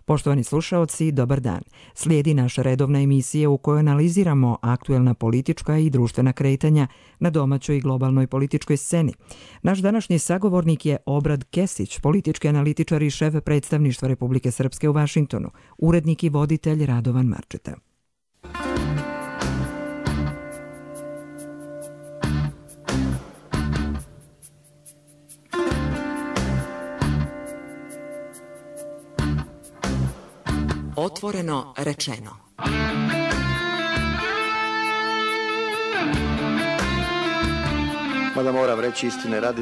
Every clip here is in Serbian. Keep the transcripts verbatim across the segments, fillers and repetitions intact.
Poštovani slušaoci, dobar dan. Slijedi naša redovna emisija u kojoj analiziramo aktuelna politička i društvena kretanja na domaćoj i globalnoj političkoj sceni. Naš današnji sagovornik je Obrad Kesić, politički analitičar i šef predstavništva Republike Srpske u Vašingtonu, urednik i voditelj Radovan Marčeta. Otvoreno rečeno. Mada moram reći istine radi.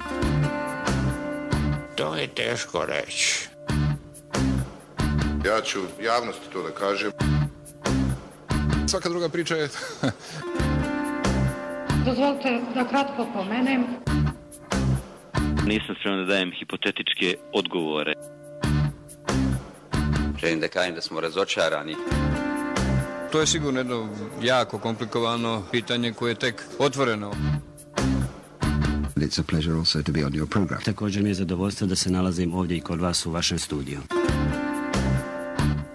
To je teško reći. Ja ću javnosti to da kažem. Svaka druga priča je... Dozvolite da kratko pomenem. Nisam spreman da dajem hipotetičke odgovore. Želim da kažem da smo razočarani. To je sigurno jedno jako komplikovano pitanje koje je tek otvoreno. It's a pleasure also to be on your program. Također mi je zadovoljstvo da se nalazim ovdje i kod vas u vašem studiju.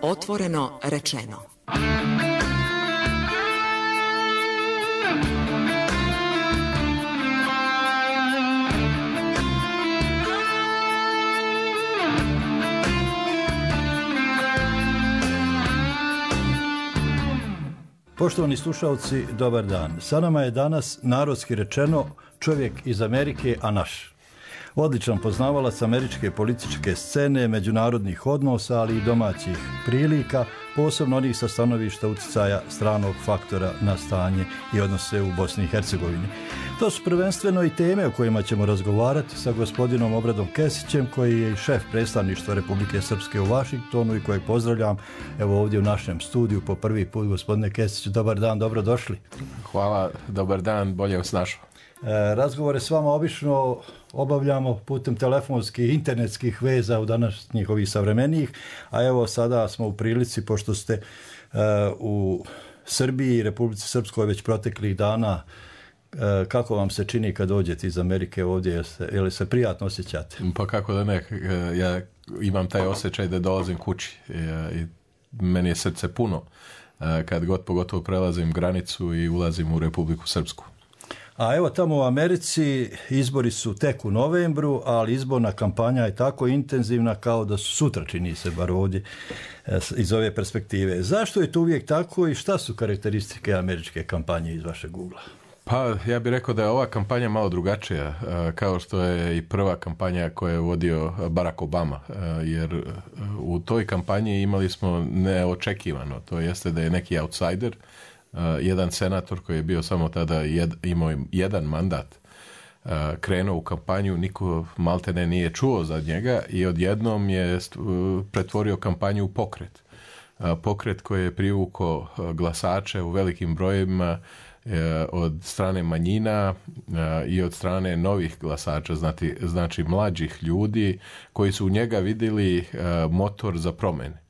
Otvoreno rečeno. Poštovani slušalci, dobar dan. Sa nama je danas, narodski rečeno, čovjek iz Amerike, a naš. Odličan poznavalac američke političke scene, međunarodnih odnosa, ali i domaćih prilika, posebno onih sa stanovišta utjecaja stranog faktora na stanje i odnose u Bosni i Hercegovini. To su prvenstveno i teme o kojima ćemo razgovarati sa gospodinom Obradom Kesićem, koji je i šef predstavništva Republike Srpske u Vašingtonu i kojeg pozdravljam evo ovdje u našem studiju po prvi put. Gospodine Kesiću, dobar dan, dobro došli. Hvala, dobar dan, bolje vas našao. E, razgovore s vama obično obavljamo putem telefonskih, internetskih veza u današnjih ovih savremenijih, a evo sada smo u prilici, pošto ste e, u Srbiji i Republici Srpskoj već proteklih dana, e, kako vam se čini kad dođete iz Amerike ovdje, je, se, je li se prijatno osjećate? Pa kako da ne, ja imam taj osjećaj da dolazim kući i, i meni je srce puno kad god pogotovo prelazim granicu i ulazim u Republiku Srpsku. A evo tamo u Americi izbori su tek u novembru, ali izborna kampanja je tako intenzivna kao da su sutra, čini se bar ovdje iz ove perspektive. Zašto je to uvijek tako i šta su karakteristike američke kampanje iz vašeg ugla? Pa ja bih rekao da je ova kampanja malo drugačija, kao što je i prva kampanja koju je vodio Barack Obama, jer u toj kampanji imali smo neočekivano, to jeste da je neki outsider, Uh, jedan senator koji je bio samo tada jed, imao jedan mandat uh, krenuo u kampanju, niko maltene nije čuo za njega i odjednom je uh, pretvorio kampanju u pokret. Uh, pokret koji je privukao uh, glasače u velikim brojevima uh, od strane manjina uh, i od strane novih glasača, znači, znači mlađih ljudi koji su u njega vidjeli uh, motor za promjene.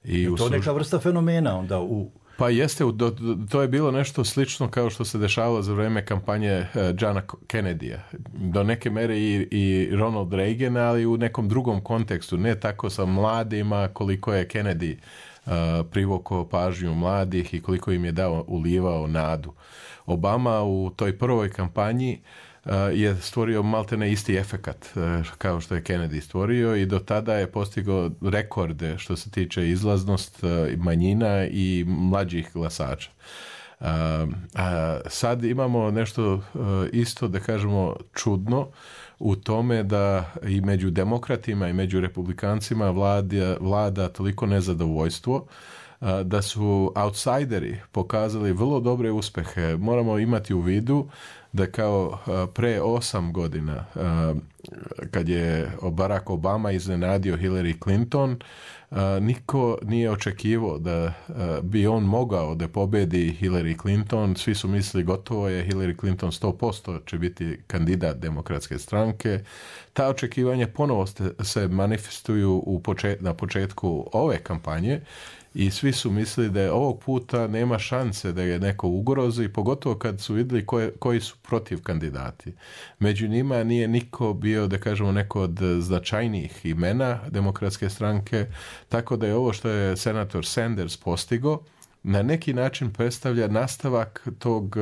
I je to služ... neka vrsta fenomena onda u... Pa jeste, to je bilo nešto slično kao što se dešavalo za vrijeme kampanje Johna Kennedyja. Do neke mere i, i Ronald Reagan, ali u nekom drugom kontekstu. Ne tako sa mladima koliko je Kennedy uh, privukao pažnju mladih i koliko im je dao, ulivao nadu. Obama u toj prvoj kampanji Uh, je stvorio maltene isti efekat uh, kao što je Kennedy stvorio i do tada je postigao rekorde što se tiče izlaznost uh, manjina i mlađih glasača. Uh, a sad imamo nešto uh, isto, da kažemo, čudno u tome da i među demokratima i među republikancima vlada, vlada toliko nezadovoljstvo uh, da su outsideri pokazali vrlo dobre uspjehe. Moramo imati u vidu da kao pre osam godina kad je Barack Obama iznenadio Hillary Clinton, niko nije očekivao da bi on mogao da pobedi Hillary Clinton. Svi su mislili gotovo je, Hillary Clinton sto posto će biti kandidat demokratske stranke. Ta očekivanja ponovo se manifestuju u počet, na početku ove kampanje i svi su mislili da je ovog puta nema šanse da je neko ugrozi, pogotovo kad su vidjeli koje, koji su protiv kandidati. Među njima nije niko bio, da kažemo, neko od značajnijih imena demokratske stranke, tako da je ovo što je senator Sanders postigao na neki način predstavlja nastavak tog,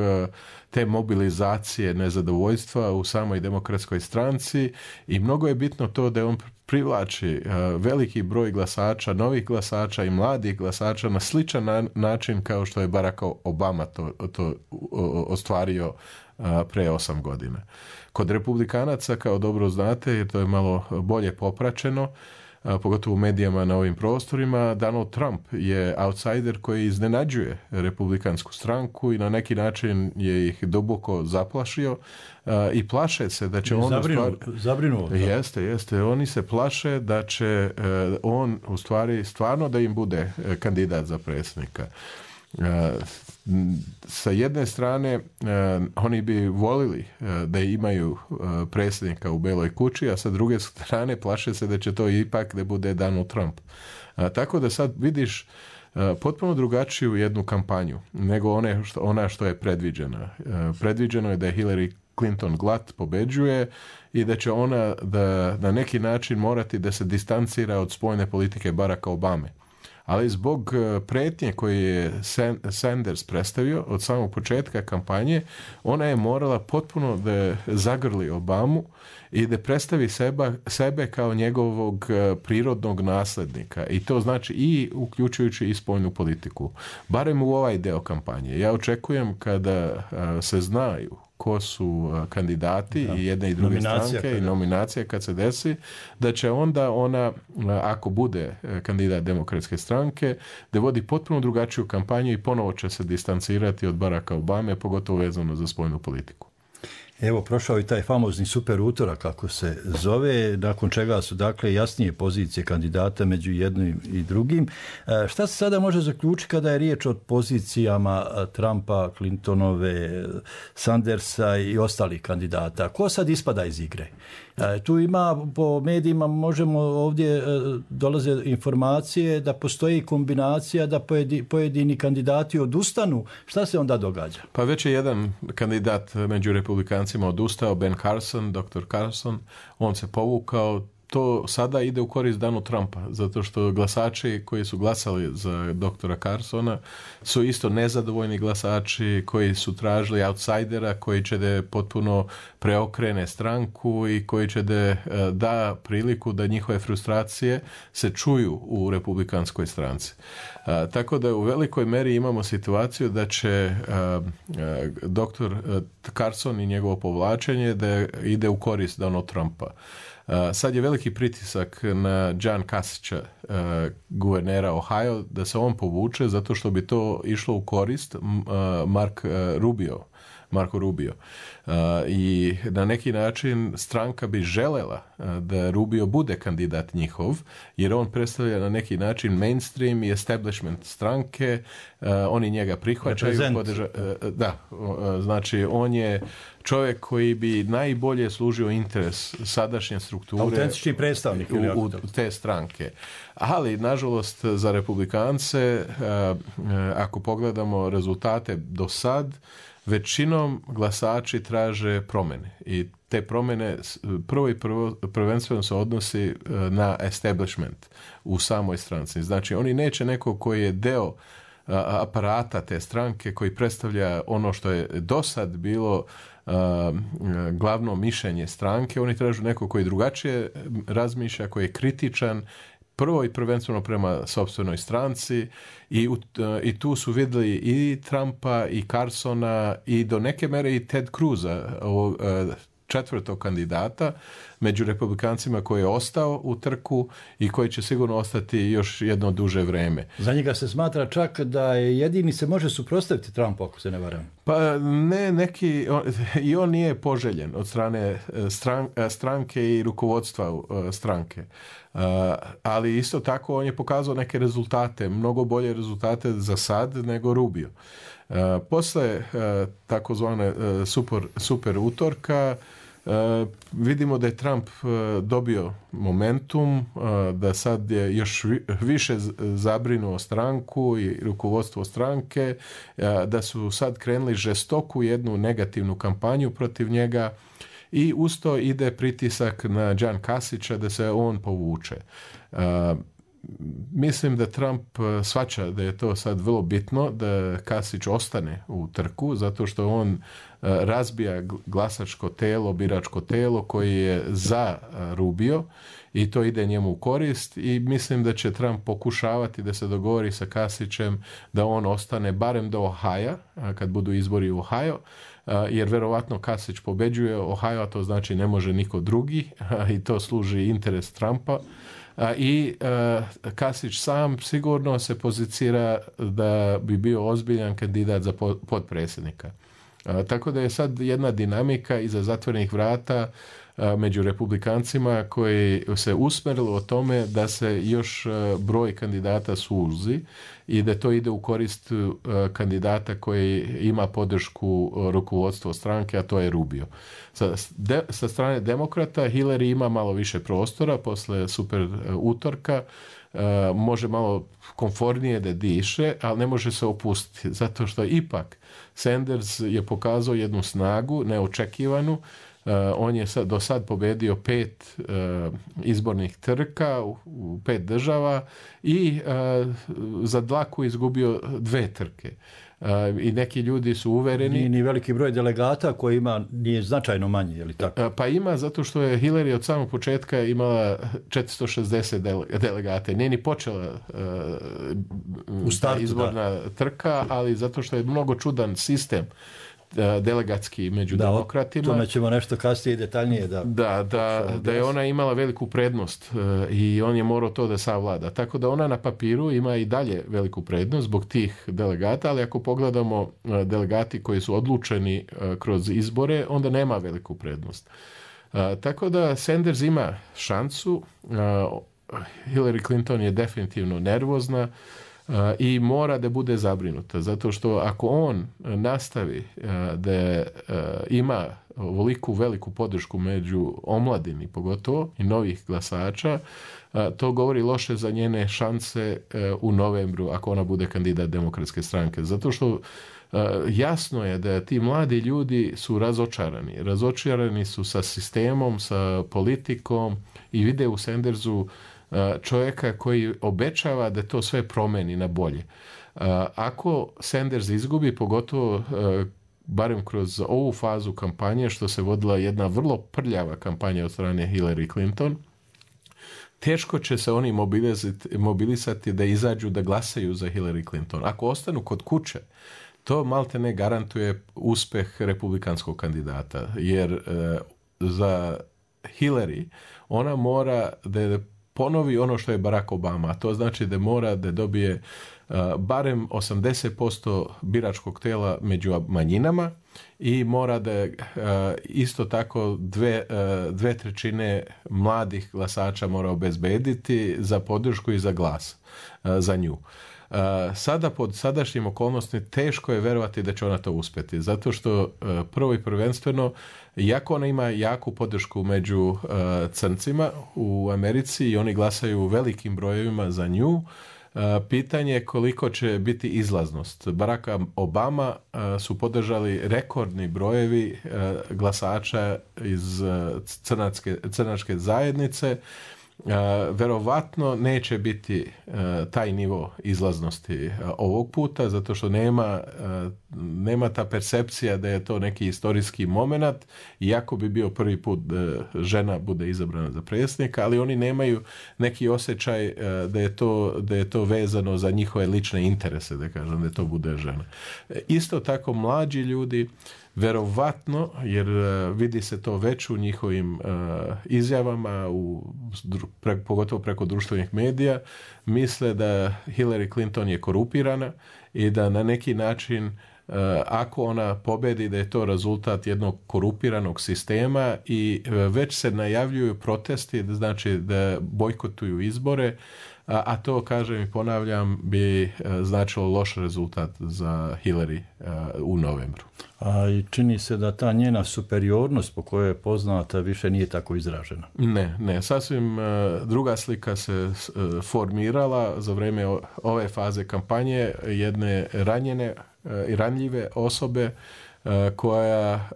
te mobilizacije nezadovoljstva u samoj demokratskoj stranci i mnogo je bitno to da on privlači veliki broj glasača, novih glasača i mladih glasača na sličan na, način kao što je Barack Obama to, to ostvario pre osam godina. Kod republikanaca, kao dobro znate, jer to je malo bolje popraćeno, pogotovo u medijama na ovim prostorima, Donald Trump je outsider koji iznenađuje republikansku stranku i na neki način je ih duboko zaplašio uh, i plaše se da će on... Zabrinuo, stvar... zabrinuo. Jeste, jeste. Oni se plaše da će uh, on u stvari stvarno da im bude uh, kandidat za predsjednika. Uh, sa jedne strane uh, oni bi volili uh, da imaju uh, predsjednika u Beloj kući, a sa druge strane plaše se da će to ipak da bude Donald Trump. Uh, tako da sad vidiš uh, potpuno drugačiju jednu kampanju nego one što, ona što je predviđena. Uh, predviđeno je da je Hillary Clinton glat pobeđuje i da će ona da na neki način morati da se distancira od spoljne politike Baracka Obame. Ali zbog pretnje koje je Sanders predstavio od samog početka kampanje, ona je morala potpuno da zagrli Obamu i da predstavi seba, sebe kao njegovog prirodnog naslednika. I to znači i uključujući i spoljnu politiku. Barem u ovaj deo kampanje. Ja očekujem kada se znaju ko su kandidati da. i jedne i druge nominacija stranke kada. i nominacija kad se desi, da će onda ona, ako bude kandidat demokratske stranke, da vodi potpuno drugačiju kampanju i ponovo će se distancirati od Baracka Obame, pogotovo vezano za spoljnu politiku. Evo, prošao i taj famozni super utorak, kako se zove, nakon čega su dakle jasnije pozicije kandidata među jednim i drugim. E, šta se sada može zaključiti kada je riječ o pozicijama Trumpa, Clintonove, Sandersa i ostalih kandidata? Ko sad ispada iz igre? E, tu ima, po medijima možemo ovdje e, dolaze informacije da postoji kombinacija da pojedini, pojedini kandidati odustanu. Šta se onda događa? Pa već je jedan kandidat među republikancima odustao, Ben Carson, doktor Carson, on se povukao. To sada ide u korist Donald Trumpa, zato što glasači koji su glasali za doktora Carsona su isto nezadovoljni glasači koji su tražili outsidera koji će da potpuno preokrene stranku i koji će da da priliku da njihove frustracije se čuju u republikanskoj stranci. A, tako da u velikoj meri imamo situaciju da će a, a, doktor Carson i njegovo povlačenje da ide u korist Donald Trumpa. Uh, sad je veliki pritisak na John Kasic'a, uh, guvernera Ohio, da se on povuče zato što bi to išlo u korist uh, Mark uh, Rubio, Marko Rubio. Uh, I na neki način stranka bi želela uh, da Rubio bude kandidat njihov, jer on predstavlja na neki način mainstream i establishment stranke, uh, oni njega prihvaćaju. Podrža, uh, da, uh, znači on je čovjek koji bi najbolje služio interes sadašnje strukture, autentični predstavnik u, u te stranke. Ali, nažalost, za republikance, ako pogledamo rezultate do sad, većinom glasači traže promjene. I te promjene prvo i prvo, prvenstveno se odnosi na establishment u samoj stranci. Znači, oni neće neko koji je deo aparata te stranke, koji predstavlja ono što je do sad bilo Uh, glavno mišljenje stranke. Oni tražu neko koji drugačije razmišlja, koji je kritičan prvo i prvenstveno prema sopstvenoj stranci i, uh, i tu su vidjeli i Trumpa i Carsona i do neke mere i Ted Cruza, ovog uh, četvrtog kandidata među republikancima koji je ostao u trku i koji će sigurno ostati još jedno duže vreme. Za njega se smatra čak da je jedini se može suprotstaviti Trumpu, ako se ne varam. Pa ne, neki, on, i on nije poželjen od strane stran, stranke i rukovodstva stranke. Uh, ali isto tako on je pokazao neke rezultate, mnogo bolje rezultate za sad nego Rubio. Uh, posle uh, takozvane uh, super, super utorka vidimo da je Trump dobio momentum, da sad je još više zabrinuo stranku i rukovodstvo stranke, da su sad krenuli žestoku jednu negativnu kampanju protiv njega i usto ide pritisak na John Kasic'a da se on povuče. Mislim da Trump shvaća da je to sad vrlo bitno da Kasich ostane u trku, zato što on razbija glasačko telo, biračko telo koji je za Rubio i to ide njemu u korist i mislim da će Trump pokušavati da se dogovori sa Kasic'em da on ostane barem do Ohio, kad budu izbori u Ohio, jer verovatno Kasich pobeđuje Ohio, a to znači ne može niko drugi i to služi interes Trumpa. I uh, Kasich sam sigurno se pozicira da bi bio ozbiljan kandidat za potpredsjednika. Uh, tako da je sad jedna dinamika iza zatvorenih vrata uh, među republikancima koji se usmjerilo o tome da se još uh, broj kandidata suzi i da to ide u korist uh, kandidata koji ima podršku uh, rukovodstva stranke, a to je Rubio. Sa, de, sa strane demokrata Hillary ima malo više prostora posle super uh, utorka, uh, može malo komfornije da diše, ali ne može se opustiti, zato što ipak Sanders je pokazao jednu snagu neočekivanu. Uh, on je sad, do sad pobedio pet uh, izbornih trka u, u pet država i uh, za dlaku izgubio dve trke. Uh, I neki ljudi su uvereni... Nije ni veliki broj delegata koji ima, nije značajno manji, je li tako? Uh, pa ima, zato što je Hillary od samog početka imala četiristo šezdeset dele, delegate. Nije ni počela uh, u startu, izborna da. trka, ali zato što je mnogo čudan sistem delegatski među da, demokratima. Tome ćemo nešto kasnije detaljnije da... Da, da, da je ona imala veliku prednost uh, i on je morao to da savlada. Tako da ona na papiru ima i dalje veliku prednost zbog tih delegata, ali ako pogledamo uh, delegati koji su odlučeni uh, kroz izbore, onda nema veliku prednost. Uh, tako da Sanders ima šansu, uh, Hillary Clinton je definitivno nervozna, Uh, i mora da bude zabrinuta, zato što ako on nastavi uh, da uh, ima ovoliku veliku podršku među omladini pogotovo i novih glasača, uh, to govori loše za njene šanse uh, u novembru ako ona bude kandidat demokratske stranke, zato što uh, jasno je da ti mladi ljudi su razočarani. Razočarani su sa sistemom, sa politikom i vide u Sandersu čovjeka koji obećava da to sve promeni na bolje. Ako Sanders izgubi, pogotovo barem kroz ovu fazu kampanje, što se vodila jedna vrlo prljava kampanja od strane Hillary Clinton, teško će se oni mobilisati, mobilisati da izađu da glasaju za Hillary Clinton. Ako ostanu kod kuće, to malte ne garantuje uspeh republikanskog kandidata, jer za Hillary ona mora da je ponovi ono što je Barack Obama, a to znači da mora da dobije uh, barem osamdeset posto biračkog tela među manjinama i mora da uh, isto tako dve, uh, dve trećine mladih glasača mora obezbediti za podršku i za glas uh, za nju. Uh, sada pod sadašnjim okolnostima teško je verovati da će ona to uspjeti, zato što uh, prvo i prvenstveno, iako ona ima jaku podršku među uh, crncima u Americi i oni glasaju velikim brojevima za nju, uh, pitanje je koliko će biti izlaznost. Barack Obama uh, su podržali rekordni brojevi uh, glasača iz uh, crnačke, crnačke zajednice. Uh, verovatno neće biti uh, taj nivo izlaznosti uh, ovog puta, zato što nema, uh, nema ta percepcija da je to neki istorijski moment, iako bi bio prvi put da žena bude izabrana za predsjednika, ali oni nemaju neki osjećaj uh, da je to, da je to vezano za njihove lične interese, da kažem, da to bude žena. Isto tako mlađi ljudi verovatno, jer uh, vidi se to već u njihovim uh, izjavama, u, pre, pogotovo preko društvenih medija, misle da Hillary Clinton je korupirana i da na neki način uh, ako ona pobedi da je to rezultat jednog korupiranog sistema i uh, već se najavljuju protesti, znači da bojkotuju izbore. a, a to, kažem i ponavljam, bi značilo loš rezultat za Hillary u novembru. A i čini se da ta njena superiornost po kojoj je poznata više nije tako izražena. Ne, ne. Sasvim druga slika se formirala za vrijeme ove faze kampanje jedne ranjene i ranljive osobe koja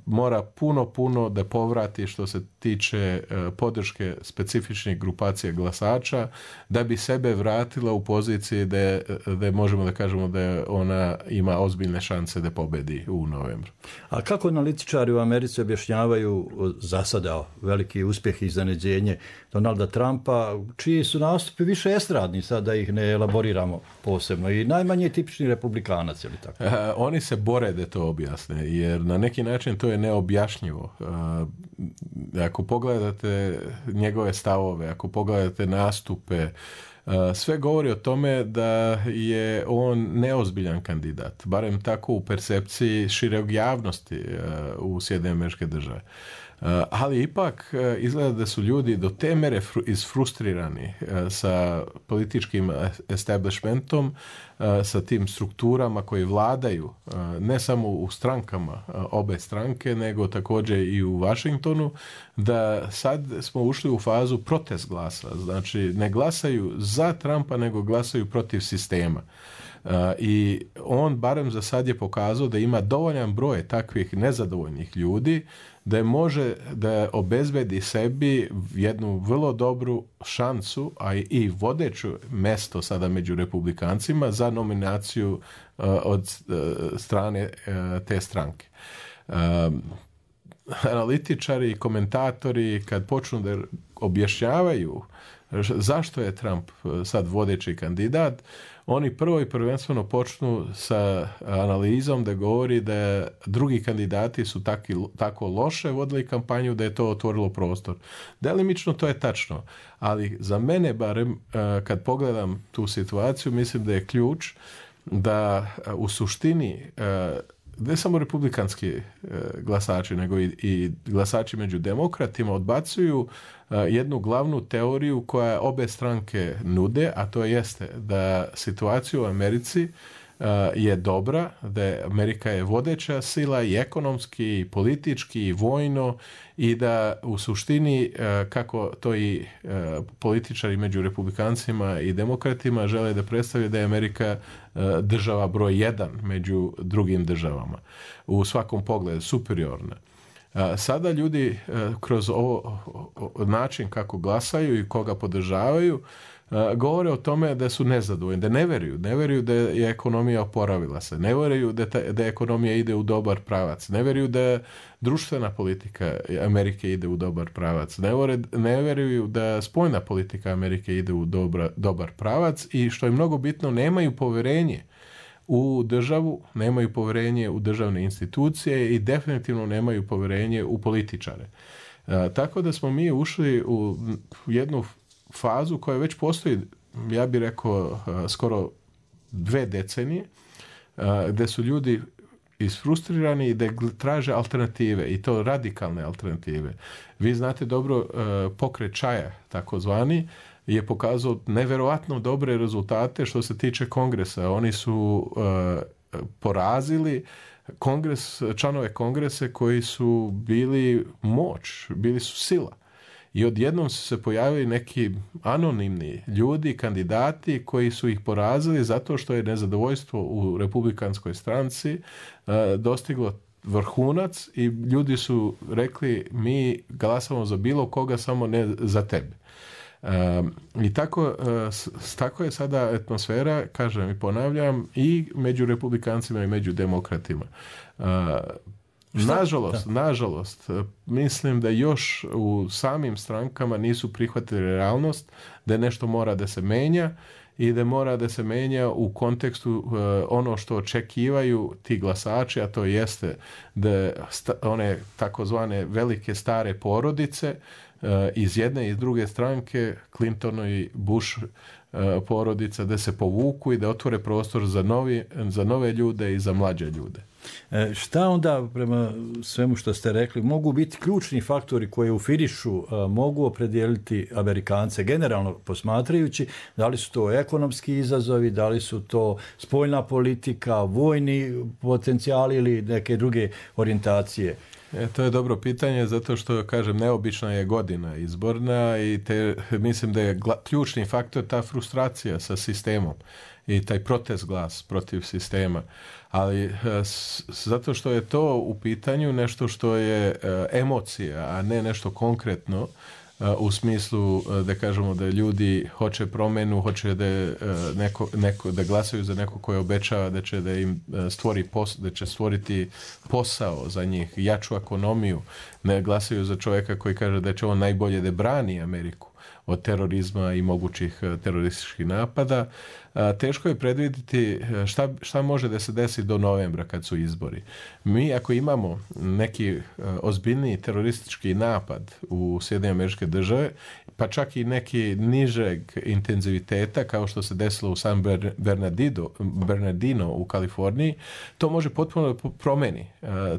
mora puno, puno da povrati što se tiče podrške specifičnih grupacija glasača da bi sebe vratila u poziciji da, da možemo da kažemo da ona ima ozbiljne šanse da pobedi u novembru. A kako analitičari u Americi objašnjavaju za sada veliki uspjeh i iznenađenje Donalda Trumpa, čiji su nastupi više estradni, sad da ih ne elaboriramo posebno, i najmanje tipični republikanac, je li tako? A, oni se bore da to objasne, jer na neki način to je neobjašnjivo. A, ako pogledate njegove stavove, ako pogledate nastupe, sve govori o tome da je on neozbiljan kandidat, barem tako u percepciji šireg javnosti u Sjedinjenim Američke Države. Ali ipak izgleda da su ljudi do te mere isfrustrirani sa političkim establishmentom, sa tim strukturama koji vladaju ne samo u strankama obe stranke, nego također i u Washingtonu, da sad smo ušli u fazu protest glasa. Znači ne glasaju za Trumpa, nego glasaju protiv sistema. Uh, i on barem za sad je pokazao da ima dovoljan broj takvih nezadovoljnih ljudi da je može da obezbedi sebi jednu vrlo dobru šansu, a i vodeću mesto sada među republikancima za nominaciju uh, od uh, strane uh, te stranke. Uh, analitičari i komentatori kad počnu da objašnjavaju zašto je Trump sad vodeći kandidat, oni prvo i prvenstveno počnu sa analizom da govori da drugi kandidati su taki, tako loše vodili kampanju da je to otvorilo prostor. Delimično to je tačno, ali za mene barem kad pogledam tu situaciju mislim da je ključ da u suštini ne samo republikanski e, glasači, nego i, i glasači među demokratima odbacuju e, jednu glavnu teoriju koja obe stranke nude, a to jeste da situacija u Americi e, je dobra, da je Amerika je vodeća sila i ekonomski, i politički, i vojno, i da u suštini, e, kako to i e, političari među republikancima i demokratima žele da predstave da je Amerika država broj jedan među drugim državama. U svakom pogledu superiorna. Sada ljudi kroz ovo način kako glasaju i koga podržavaju govore o tome da su nezadovoljni, da ne veruju, ne veruju da je ekonomija oporavila se, ne veruju da, ta, da ekonomija ide u dobar pravac, ne veruju da društvena politika Amerike ide u dobar pravac, ne, vore, ne veruju da spoljna politika Amerike ide u dobra, dobar pravac i što je mnogo bitno, nemaju poverenje u državu, nemaju poverenje u državne institucije i definitivno nemaju poverenje u političare. E, tako da smo mi ušli u jednu fazu koja već postoji, ja bih rekao, skoro dve decenije, gdje su ljudi isfrustrirani i da traže alternative, i to radikalne alternative. Vi znate dobro, pokret Čaja, takozvani, je pokazao neverovatno dobre rezultate što se tiče kongresa. Oni su porazili kongres, članove kongrese koji su bili moć, bili su sila. I odjednom su se pojavili neki anonimni ljudi, kandidati koji su ih porazili zato što je nezadovoljstvo u republikanskoj stranci uh, dostiglo vrhunac i ljudi su rekli mi glasamo za bilo koga, samo ne za tebe. Uh, I tako, uh, tako je sada atmosfera, kažem i ponavljam, i među republikancima i među demokratima. Uh, Nažalost, nažalost, mislim da još u samim strankama nisu prihvatili realnost da nešto mora da se menja i da mora da se menja u kontekstu uh, ono što očekivaju ti glasači, a to jeste da sta, one takozvane velike stare porodice uh, iz jedne i iz druge stranke, Clinton i Bush porodica, da se povuku i da otvore prostor za, novi, za nove ljude i za mlađe ljude. E, šta onda, prema svemu što ste rekli, mogu biti ključni faktori koji u finišu a, mogu opredijeliti Amerikance, generalno posmatrajući, da li su to ekonomski izazovi, da li su to spoljna politika, vojni potencijali ili neke druge orijentacije? E, to je dobro pitanje, zato što, kažem, neobična je godina izborna i te, mislim da je gla, ključni faktor ta frustracija sa sistemom i taj protest glas protiv sistema. Ali s, zato što je to u pitanju nešto što je e, emocija, a ne nešto konkretno, e, u smislu e, da kažemo da ljudi hoće promenu, hoće da, e, neko, neko, da glasaju za neko koji obećava da će da im stvori pos, da će stvoriti posao za njih, jaču ekonomiju, ne glasaju za čovjeka koji kaže da će on najbolje da brani Ameriku od terorizma i mogućih terorističkih napada. Teško je predvidjeti šta, šta može da se desi do novembra kad su izbori. Mi ako imamo neki ozbiljniji teroristički napad u Sjedinjene Američke Države, pa čak i neki nižeg intenziviteta kao što se desilo u San Bernardino, Bernardino u Kaliforniji, to može potpuno da promeni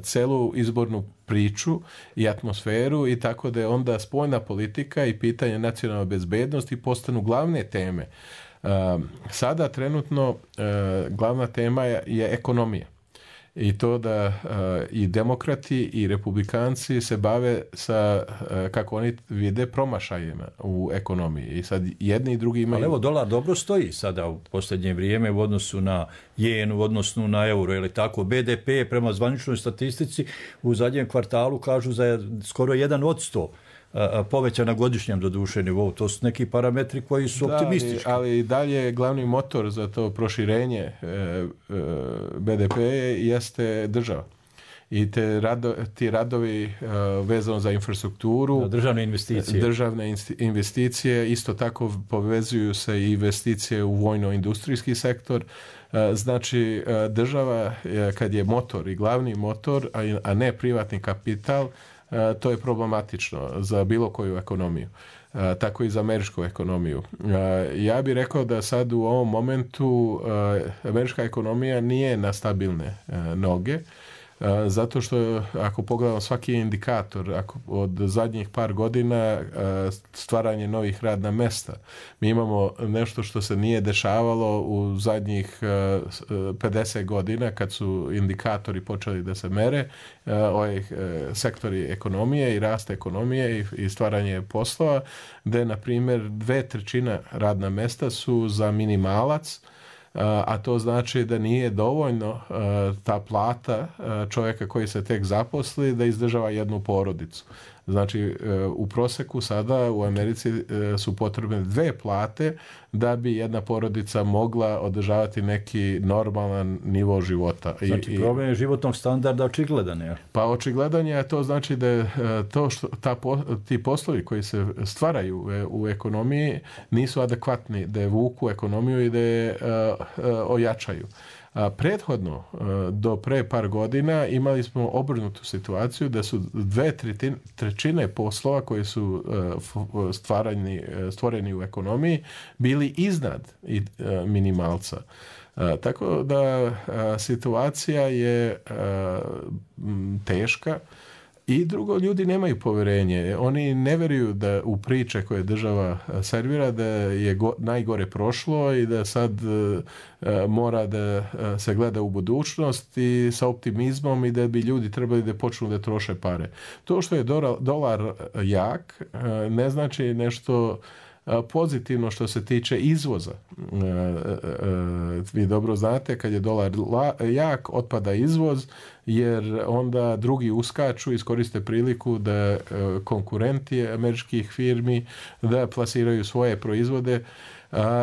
celu izbornu priču i atmosferu i tako da je onda spoljna politika i pitanje nacionalne bezbednosti postanu glavne teme. Sada trenutno glavna tema je, je ekonomija. I to da uh, i demokrati i republikanci se bave sa, uh, kako oni vide, promašajima u ekonomiji. I sad jedni i drugi imaju... Ali evo, dolar dobro stoji sada u posljednje vrijeme u odnosu na jen, u odnosu na euro, ili tako. B D P prema zvaničnoj statistici u zadnjem kvartalu kažu za skoro jedan od sto povećana godišnjem doduše nivou. To su neki parametri koji su da, optimistički. Ali, ali dalje glavni motor za to proširenje e, e, B D P jeste država. I te rado, ti radovi e, vezano za infrastrukturu, da, državne investicije. Državne investicije, isto tako povezuju se i investicije u vojno-industrijski sektor. E, znači, e, država e, kad je motor i glavni motor, a, a ne privatni kapital, Uh, to je problematično za bilo koju ekonomiju, uh, tako i za američku ekonomiju. Uh, ja bih rekao da sad u ovom momentu uh, američka ekonomija nije na stabilne uh, noge, uh, zato što ako pogledamo svaki indikator, ako od zadnjih par godina uh, stvaranje novih radna mesta, mi imamo nešto što se nije dešavalo u zadnjih uh, pedeset godina kad su indikatori počeli da se mere, Uh, ovaj, uh, sektori ekonomije i rasta ekonomije i, i stvaranje poslova, gde, na primjer, dve trećina radna mesta su za minimalac, uh, a to znači da nije dovoljno uh, ta plata uh, čovjeka koji se tek zaposli da izdržava jednu porodicu. Znači, u proseku sada u Americi su potrebne dve plate da bi jedna porodica mogla održavati neki normalan nivo života. Znači, I, problem je životnog standarda očigledan, je? Pa očigledan je, a to znači da je to što, ta, ti poslovi koji se stvaraju u, u ekonomiji nisu adekvatni, da je vuku ekonomiju i da je uh, uh, ojačaju. A prethodno, do pre par godina, imali smo obrnutu situaciju da su dve trećine poslova koji su stvarani, stvoreni u ekonomiji bili iznad minimalca. Tako da situacija je teška. I drugo, ljudi nemaju poverenje. Oni ne veruju da u priče koje država servira da je go, najgore prošlo i da sad uh, mora da uh, se gleda u budućnost i sa optimizmom i da bi ljudi trebali da počnu da troše pare. To što je dolar, dolar jak uh, ne znači nešto pozitivno što se tiče izvoza. Vi dobro znate, kad je dolar jak, otpada izvoz, jer onda drugi uskaču, iskoriste priliku da konkurenti američkih firmi da plasiraju svoje proizvode.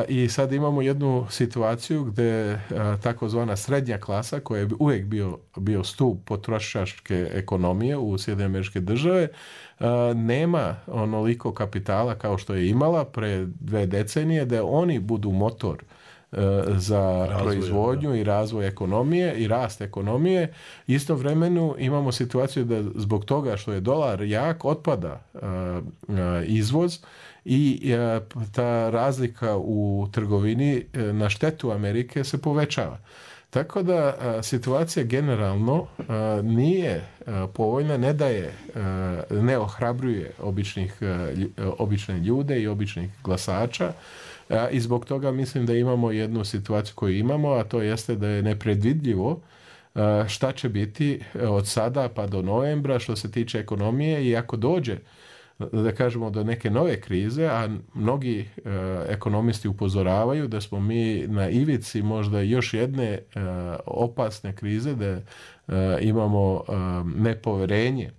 I sad imamo jednu situaciju gde takozvana srednja klasa, koja je uvijek bio, bio stup potrošačke ekonomije u Sjedinjene Američke Države, nema onoliko kapitala kao što je imala pre dve decenije da oni budu motor za razvoj, proizvodnju da. i razvoj ekonomije i rast ekonomije. Istovremeno imamo situaciju da zbog toga što je dolar jak otpada izvoz i ta razlika u trgovini na štetu Amerike se povećava. Tako da a, situacija generalno a, nije a, povoljna, ne daje, a, ne ohrabruje običnih, a, obične ljude i običnih glasača a, i zbog toga mislim da imamo jednu situaciju koju imamo, a to jeste da je nepredvidljivo a, šta će biti od sada pa do novembra što se tiče ekonomije i ako dođe da kažemo do neke nove krize, a mnogi e, ekonomisti upozoravaju da smo mi na ivici možda još jedne e, opasne krize, da e, imamo e, nepoverenje e,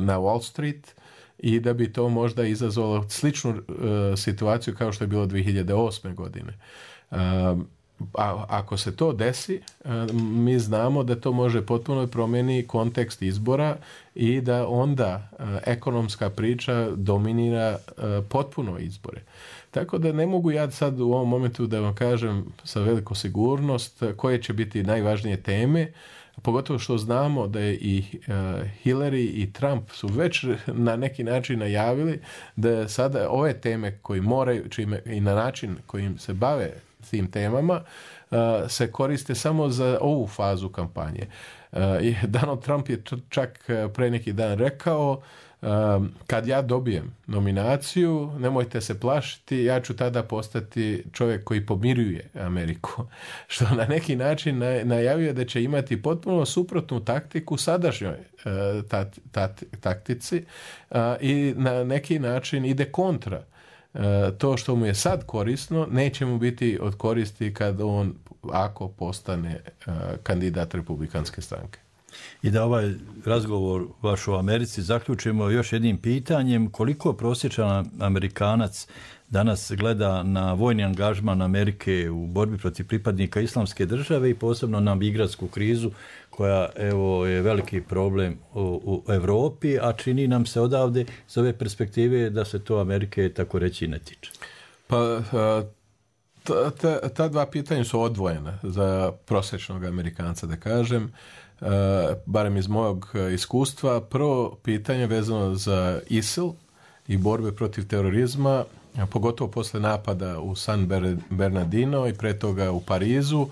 na Wall Street i da bi to možda izazvalo sličnu e, situaciju kao što je bilo dvije hiljade osme godine. E, A ako se to desi, mi znamo da to može potpuno promijeniti kontekst izbora i da onda ekonomska priča dominira potpuno izbore. Tako da ne mogu ja sad u ovom momentu da vam kažem sa velikom sigurnost koje će biti najvažnije teme, pogotovo što znamo da je i Hillary i Trump su već na neki način najavili da sada ove teme koji moraju, čime, i na način kojim se bave tim temama, uh, se koriste samo za ovu fazu kampanje. Uh, Donald Trump je čak pre neki dan rekao um, kad ja dobijem nominaciju, nemojte se plašiti, ja ću tada postati čovjek koji pomiruje Ameriku. Što na neki način najavio da će imati potpuno suprotnu taktiku sadašnjoj uh, tat, tat, taktici uh, i na neki način ide kontra. To što mu je sad korisno neće mu biti od koristi kad on, ako postane uh, kandidat Republikanske stranke. I da ovaj razgovor vaš o Americi zaključimo još jednim pitanjem, koliko prosječan Amerikanac danas gleda na vojni angažman Amerike u borbi protiv pripadnika Islamske države i posebno na migrantsku krizu koja evo je veliki problem u, u Europi, a čini nam se odavde s ove perspektive da se to Amerike tako reći ne tiče. Pa ta, ta, ta dva pitanja su odvojena za prosječnog Amerikanca, da kažem. Uh, barem iz mojeg iskustva. Prvo pitanje vezano za I S I L i borbe protiv terorizma, pogotovo posle napada u San Bernardino i pre toga u Parizu. Uh,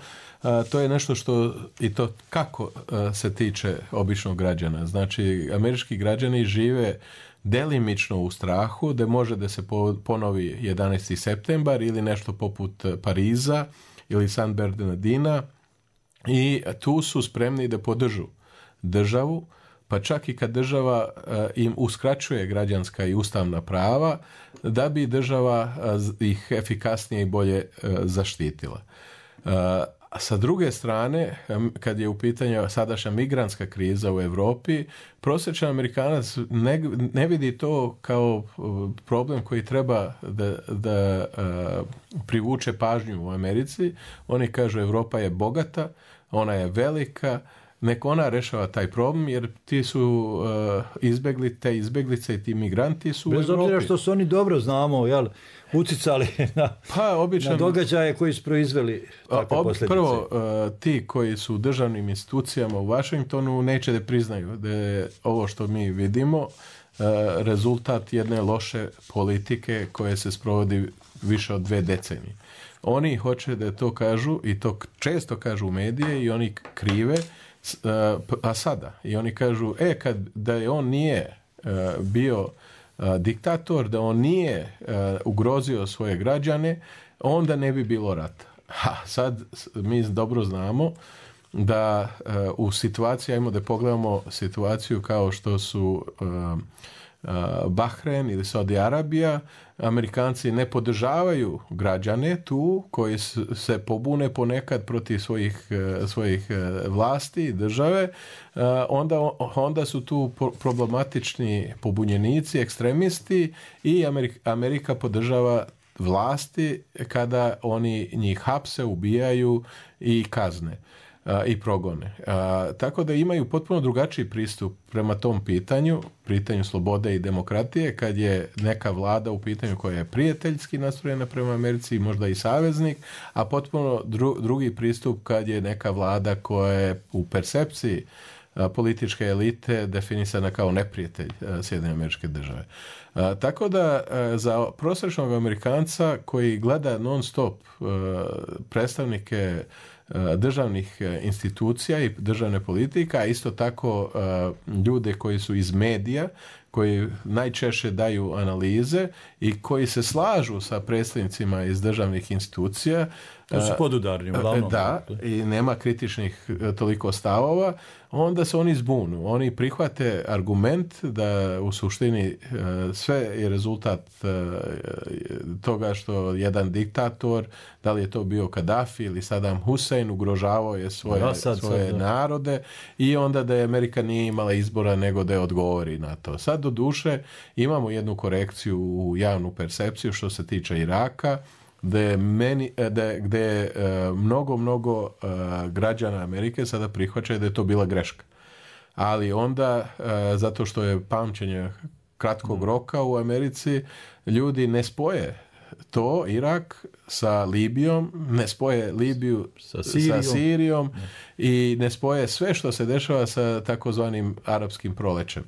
to je nešto što, i to kako uh, se tiče običnog građana. Znači, američki građani žive delimično u strahu da može da se ponovi jedanaesti septembar ili nešto poput Pariza ili San Bernardina i tu su spremni da podržu državu, pa čak i kad država uh, im uskraćuje građanska i ustavna prava, da bi država uh, ih efikasnije i bolje uh, zaštitila. Uh, A sa druge strane, kad je u pitanju sadašnja migrantska kriza u Europi, prosječan Amerikanac ne, ne vidi to kao problem koji treba da, da uh, privuče pažnju u Americi. Oni kažu Europa je bogata, ona je velika, nek ona rešava taj problem, jer ti su uh, izbegli, te izbeglice i ti migranti su bez u Evropi. Bez obzira što su oni dobro znamo, jel, uticali na, pa, obično, na događaje koji su proizveli takve ob, posljedice. Prvo, uh, ti koji su u državnim institucijama u Washingtonu neće da priznaju da je ovo što mi vidimo uh, rezultat jedne loše politike koje se sprovodi više od dve decenije. Oni hoće da to kažu i to često kažu u medije i oni krive, a sada. I oni kažu, e, kad da je on nije uh, bio uh, diktator, da on nije uh, ugrozio svoje građane, onda ne bi bilo rata. Ha, sad mi dobro znamo da uh, u situaciji, ajmo da pogledamo situaciju kao što su uh, uh, Bahrein ili Saudi Arabija, Amerikanci ne podržavaju građane tu koji se pobune ponekad protiv svojih, svojih vlasti i države, onda, onda su tu problematični pobunjenici, ekstremisti i Amerika, Amerika podržava vlasti kada oni njih hapse, ubijaju i kazne. a, i progone. A, tako da imaju potpuno drugačiji pristup prema tom pitanju, pitanju slobode i demokratije, kad je neka vlada u pitanju koja je prijateljski nastrojena prema Americi i možda i saveznik, a potpuno dru, drugi pristup kad je neka vlada koja je u percepciji a, političke elite definisana kao neprijatelj Sjedinjenih Američke Države. A, tako da a, za prosječnog Amerikanca koji gleda non stop a, predstavnike državnih institucija i državne politike, a isto tako ljude koji su iz medija, koji najčešće daju analize i koji se slažu sa predstavnicima iz državnih institucija. To su podudarni, uglavnom. Da, i nema kritičnih toliko stavova, onda se oni zbunu. Oni prihvate argument da u suštini sve je rezultat toga što jedan diktator, da li je to bio Kadafi ili Saddam Hussein, ugrožavao je svoje, da, sad, svoje sad, narode i onda da je Amerika nije imala izbora nego da je odgovori na to. Sad do duše imamo jednu korekciju u javnu percepciju što se tiče Iraka, gde, meni, de, gde uh, mnogo, mnogo uh, građana Amerike sada prihvaćaju da je to bila greška. Ali onda, uh, zato što je pamćenje kratkog roka u Americi, ljudi ne spoje to, Irak, sa Libijom, ne spoje Libiju sa Sirijom, sa Sirijom i ne spoje sve što se dešava sa takozvanim arapskim prolećem.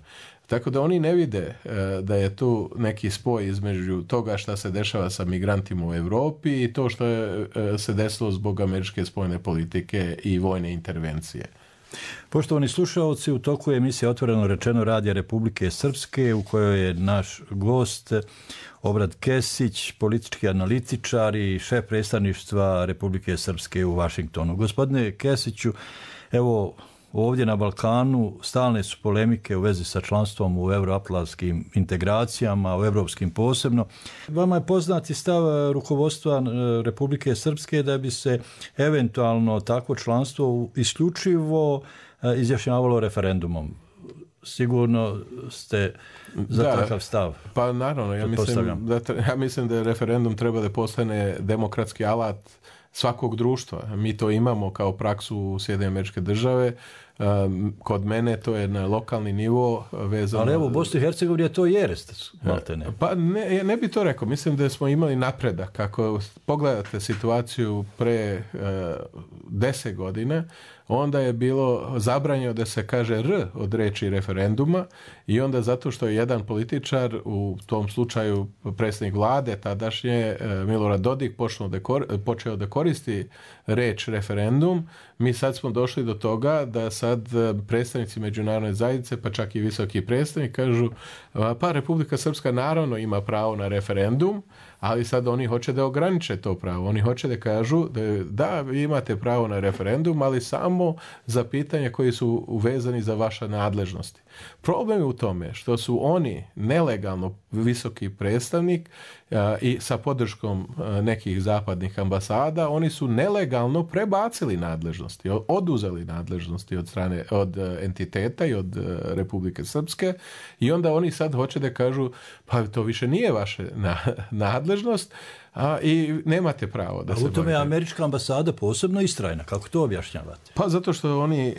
Tako da oni ne vide e, da je tu neki spoj između toga šta se dešava sa migrantima u Europi i to što je e, se desilo zbog američke spoljne politike i vojne intervencije. Poštovani slušalci, u toku je emisija Otvoreno rečeno Radija Republike Srpske u kojoj je naš gost Obrad Kesić, politički analitičar i šef predstavništva Republike Srpske u Vašingtonu. Gospodine Kesiću, evo ovdje na Balkanu stalne su polemike u vezi sa članstvom u euroatlantskim integracijama, u evropskim posebno. Vama je poznati stav rukovodstva Republike Srpske da bi se eventualno takvo članstvo isključivo izjašnjavalo referendumom. Sigurno ste za da, takav stav. Pa naravno, ja mislim, da, ja mislim da referendum treba da postane demokratski alat svakog društva. Mi to imamo kao praksu u Sjedinjenih Američke Države. Kod mene to je na lokalni nivo vezano. Ali evo u Bosni i Hercegovini je to jerest, maltene. Pa ne, ne bi to rekao. Mislim da smo imali napredak. Kako pogledate situaciju pre uh, deset godina, onda je bilo zabranjeno da se kaže R od reči referenduma i onda zato što je jedan političar, u tom slučaju predsjednik vlade tadašnje Milorad Dodik da kor, počeo da koristi reč referendum, mi sad smo došli do toga da sad predstavnici međunarodne zajednice, pa čak i visoki predstavnik kažu pa Republika Srpska naravno ima pravo na referendum, ali sad oni hoće da ograniče to pravo. Oni hoće da kažu da, da vi imate pravo na referendum, ali samo za pitanja koji su uvezani za vaše nadležnosti. Problem je u tome što su oni nelegalno visoki predstavnik a, i sa podrškom a, nekih zapadnih ambasada, oni su nelegalno prebacili nadležnosti, oduzeli nadležnosti od strane od a, entiteta i od a, Republike Srpske i onda oni sad hoće da kažu pa to više nije vaše na, nadležnost, a i nemate pravo da a se u tome je američka ambasada posebno istrajna. Kako to objašnjavate? Pa zato što oni e,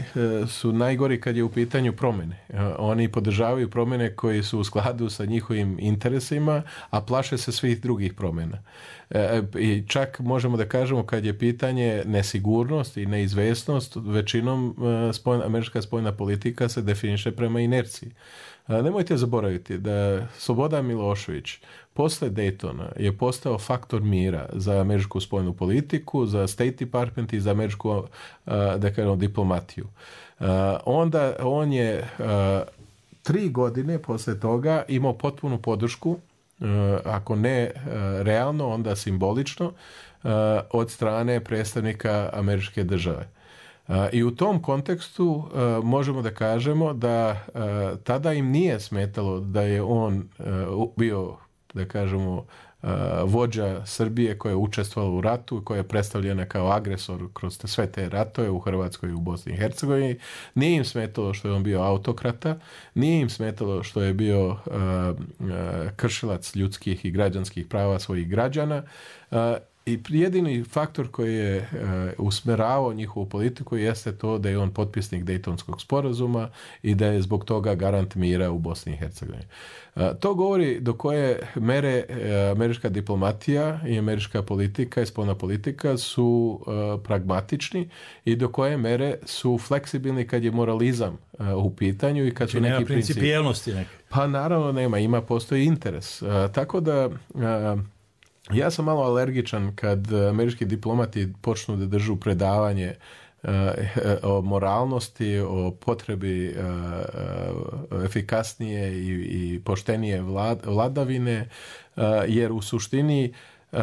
su najgori kad je u pitanju promjene. E, oni podržavaju promjene koji su u skladu sa njihovim interesima, a plaše se svih drugih promjena. E, I čak možemo da kažemo kad je pitanje nesigurnost i neizvesnost, većinom e, spoljna, američka spoljna politika se definiše prema inerciji. E, nemojte zaboraviti da Slobodan Milošević posle Daytona je postao faktor mira za američku spoljnu politiku, za State Department i za američku da kažemo, diplomatiju. Onda on je tri godine posle toga imao potpunu podršku, ako ne realno, onda simbolično, od strane predstavnika američke države. I u tom kontekstu možemo da kažemo da tada im nije smetalo da je on bio, da kažemo, vođa Srbije koja je učestvovala u ratu, koja je predstavljena kao agresor kroz sve te ratove u Hrvatskoj i u Bosni i Hercegovini. Nije im smetalo što je on bio autokrata, nije im smetalo što je bio uh, uh, kršilac ljudskih i građanskih prava svojih građana uh, I jedini faktor koji je uh, usmeravao njihovu politiku jeste to da je on potpisnik Dejtonskog sporazuma i da je zbog toga garant mira u Bosni i Hercegovini. Uh, to govori do koje mere uh, američka diplomatija i američka politika i spoljna politika su uh, pragmatični i do koje mere su fleksibilni kad je moralizam uh, u pitanju i kad znači, su neki principi. principijelnosti neke. Pa naravno nema, ima, postoji interes. Uh, tako da uh, ja sam malo alergičan kad američki diplomati počnu da držu predavanje uh, o moralnosti, o potrebi uh, uh, efikasnije i, i poštenije vlad, vladavine, uh, jer u suštini Uh,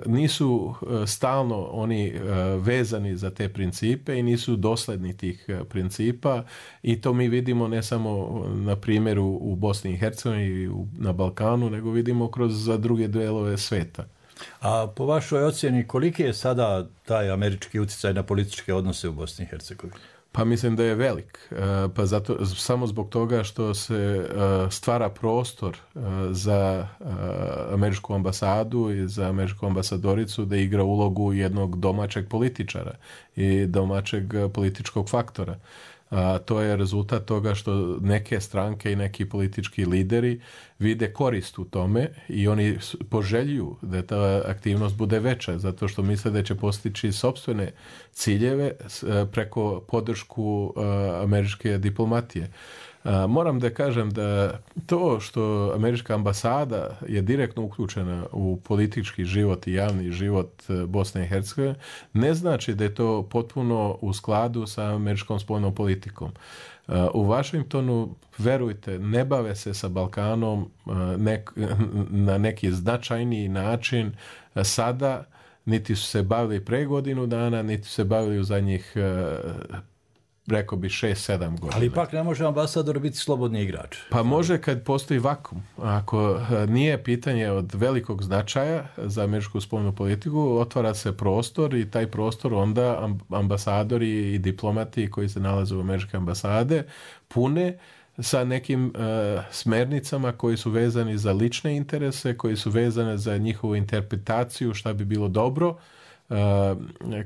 nisu uh, stalno oni uh, vezani za te principe i nisu dosledni tih uh, principa i to mi vidimo ne samo na primjeru u Bosni i Hercegovini i na Balkanu, nego vidimo kroz druge delove sveta. A po vašoj ocjeni koliki je sada taj američki utjecaj na političke odnose u Bosni i Hercegovini? Pa mislim da je velik. Pa zato, samo zbog toga što se stvara prostor za američku ambasadu i za američku ambasadoricu da igra ulogu jednog domaćeg političara i domaćeg političkog faktora. A to je rezultat toga što neke stranke i neki politički lideri vide korist u tome i oni poželjuju da ta aktivnost bude veća zato što misle da će postići sopstvene ciljeve preko podršku američke diplomatije. Moram da kažem da to što američka ambasada je direktno uključena u politički život i javni život Bosne i Hercegovine ne znači da je to potpuno u skladu sa američkom spoljnom politikom. U Washingtonu, verujte, ne bave se sa Balkanom nek, na neki značajniji način sada, niti su se bavili pre godinu dana, niti su se bavili u zadnjih rekao bi šest sedam godina. Ali ipak ne može ambasador biti slobodni igrač. Pa može kad postoji vakum. Ako nije pitanje od velikog značaja za američku spoljnu politiku, otvara se prostor i taj prostor onda ambasadori i diplomati koji se nalaze u američke ambasade pune sa nekim uh, smernicama koji su vezani za lične interese, koji su vezane za njihovu interpretaciju šta bi bilo dobro Uh,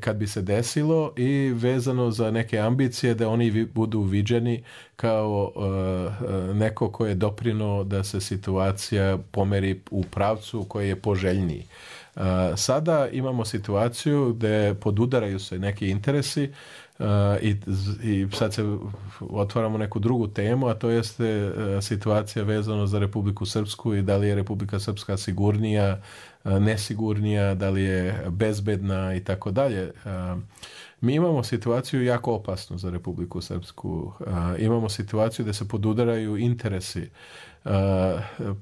kad bi se desilo i vezano za neke ambicije da oni vi, budu viđeni kao uh, neko ko je doprinuo da se situacija pomeri u pravcu koji je poželjniji. Uh, sada imamo situaciju gde podudaraju se neki interesi uh, i, i sad se otvaramo neku drugu temu, a to jeste uh, situacija vezano za Republiku Srpsku i da li je Republika Srpska sigurnija, nesigurnija, da li je bezbedna i tako dalje. Mi imamo situaciju jako opasnu za Republiku Srpsku. Imamo situaciju da se podudaraju interesi.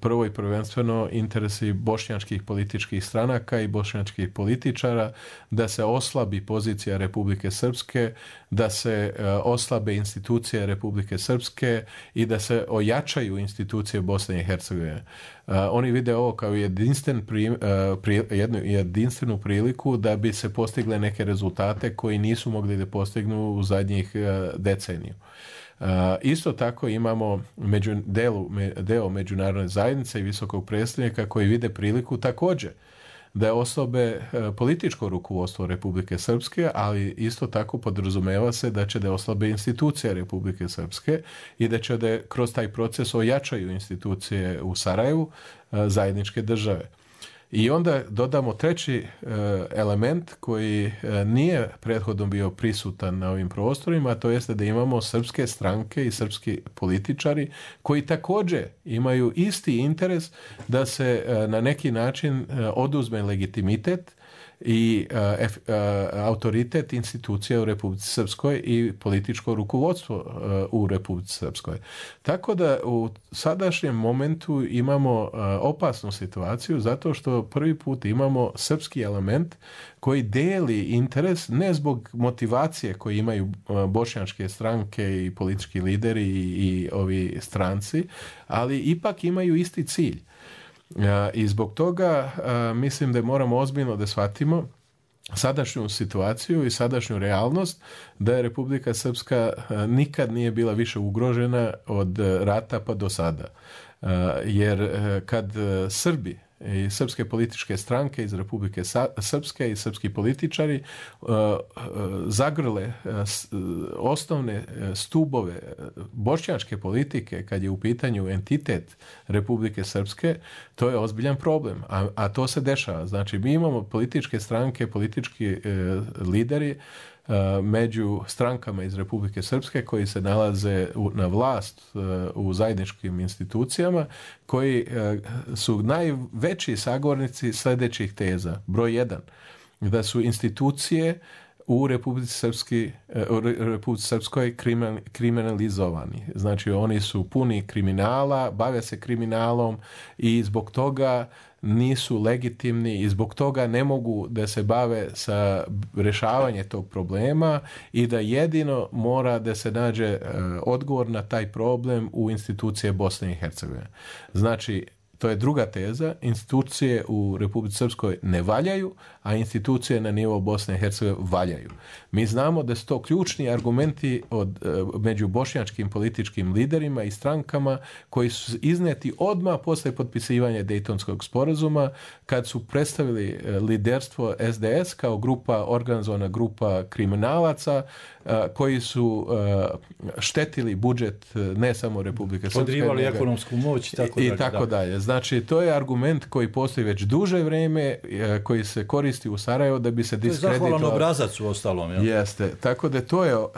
Prvo i prvenstveno interesi bošnjačkih političkih stranaka i bošnjačkih političara, da se oslabi pozicija Republike Srpske, da se oslabe institucije Republike Srpske i da se ojačaju institucije Bosne i Hercegovine. Oni vide ovo kao jedinstven pri, pri, jednu jedinstvenu priliku da bi se postigle neke rezultate koji nisu mogli da postignu u zadnjih deceniju. Uh, isto tako imamo među, delu, me, deo međunarodne zajednice i visokog predstavnika koji vide priliku također da osobe uh, političko rukovodstvo Republike Srpske, ali isto tako podrazumeva se da će da oslabe institucije Republike Srpske i da će da kroz taj proces ojačaju institucije u Sarajevu uh, zajedničke države. I onda dodamo treći uh, element koji uh, nije prethodno bio prisutan na ovim prostorima, a to jeste da imamo srpske stranke i srpski političari koji također imaju isti interes da se uh, na neki način uh, oduzme legitimitet i uh, ef, uh, autoritet institucija u Republici Srpskoj i političko rukovodstvo uh, u Republici Srpskoj. Tako da u sadašnjem momentu imamo uh, opasnu situaciju zato što prvi put imamo srpski element koji deli interes ne zbog motivacije koje imaju uh, bošnjačke stranke i politički lideri i, i ovi stranci, ali ipak imaju isti cilj. I zbog toga mislim da moramo ozbiljno da shvatimo sadašnju situaciju i sadašnju realnost da je Republika Srpska nikad nije bila više ugrožena od rata pa do sada. Jer kad Srbi i srpske političke stranke iz Republike Srpske i srpski političari uh, uh, zagrle uh, osnovne stubove bošnjačke politike kad je u pitanju entitet Republike Srpske, to je ozbiljan problem, a, a to se dešava. Znači, mi imamo političke stranke, politički uh, lideri među strankama iz Republike Srpske koji se nalaze u, na vlast u zajedničkim institucijama, koji su najveći sagovornici sljedećih teza. Broj jedan, da su institucije u Republici, Srpski, u Republici Srpskoj kriminalizovani. Znači, oni su puni kriminala, bave se kriminalom i zbog toga nisu legitimni i zbog toga ne mogu da se bave sa rješavanjem tog problema i da jedino mora da se nađe odgovor na taj problem u institucije Bosne i Hercegovine. Znači, to je druga teza, institucije u Republici Srpskoj ne valjaju, a institucije na nivou Bosne i Hercegovine valjaju. Mi znamo da su to ključni argumenti od, među bošnjačkim političkim liderima i strankama koji su izneti odmah posle potpisivanja Dejtonskog sporazuma, kad su predstavili liderstvo S D S kao grupa, organizovana grupa kriminalaca koji su štetili budžet ne samo Republike Srpske, podrivali ekonomsku moć i tako, i tako dalje. Znači, to je argument koji postoji već duže vrijeme, koji se koristi u Sarajevu da bi se diskreditovao. To je zahvalan obrazac u ostalom. Jel? Jeste. Tako da to je uh,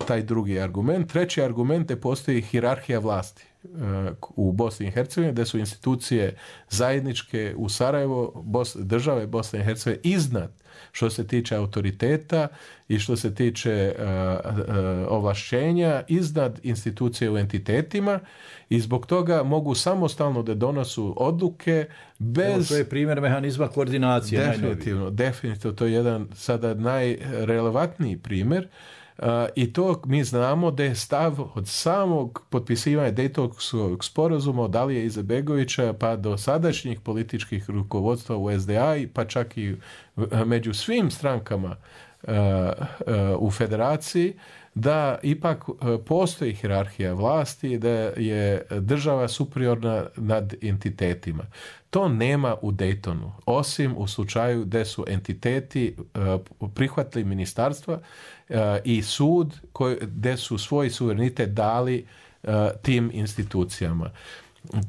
taj drugi argument. Treći argument je postoji hijerarhija vlasti uh, u Bosni i Hercegovini, da su institucije zajedničke u Sarajevo, Bos, države Bosne i Hercegovine iznad što se tiče autoriteta i što se tiče uh, uh, ovlašćenja iznad institucije u entitetima i zbog toga mogu samostalno da donosu odluke bez... Evo, to je primjer mehanizma koordinacije. Definitivno, najnoviji. definitivno. To je jedan sada najrelevantniji primjer. Uh, i to mi znamo da je stav od samog potpisivanja Dejtonskog sporazuma od Alije Izetbegovića pa do sadašnjih političkih rukovodstva u S D A i pa čak i među svim strankama uh, uh, u federaciji, da ipak postoji hijerarhija vlasti, da je država superiorna nad entitetima. To nema u Daytonu, osim u slučaju gdje su entiteti uh, prihvatili ministarstva uh, i sud koji, gdje su svoj suverenitet dali uh, tim institucijama. Uh,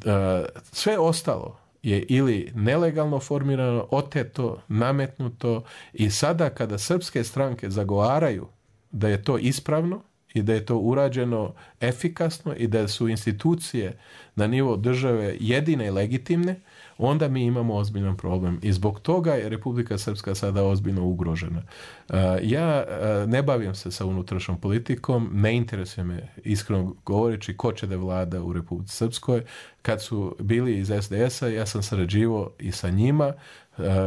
sve ostalo je ili nelegalno formirano, oteto, nametnuto i sada kada srpske stranke zagovaraju da je to ispravno i da je to urađeno efikasno i da su institucije na nivou države jedine i legitimne, onda mi imamo ozbiljan problem. I zbog toga je Republika Srpska sada ozbiljno ugrožena. Ja ne bavim se sa unutrašnjom politikom, ne interesuje me, iskreno govoreći, ko će da vlada u Republici Srpskoj. Kad su bili iz S D S-a, ja sam sarađivao i sa njima.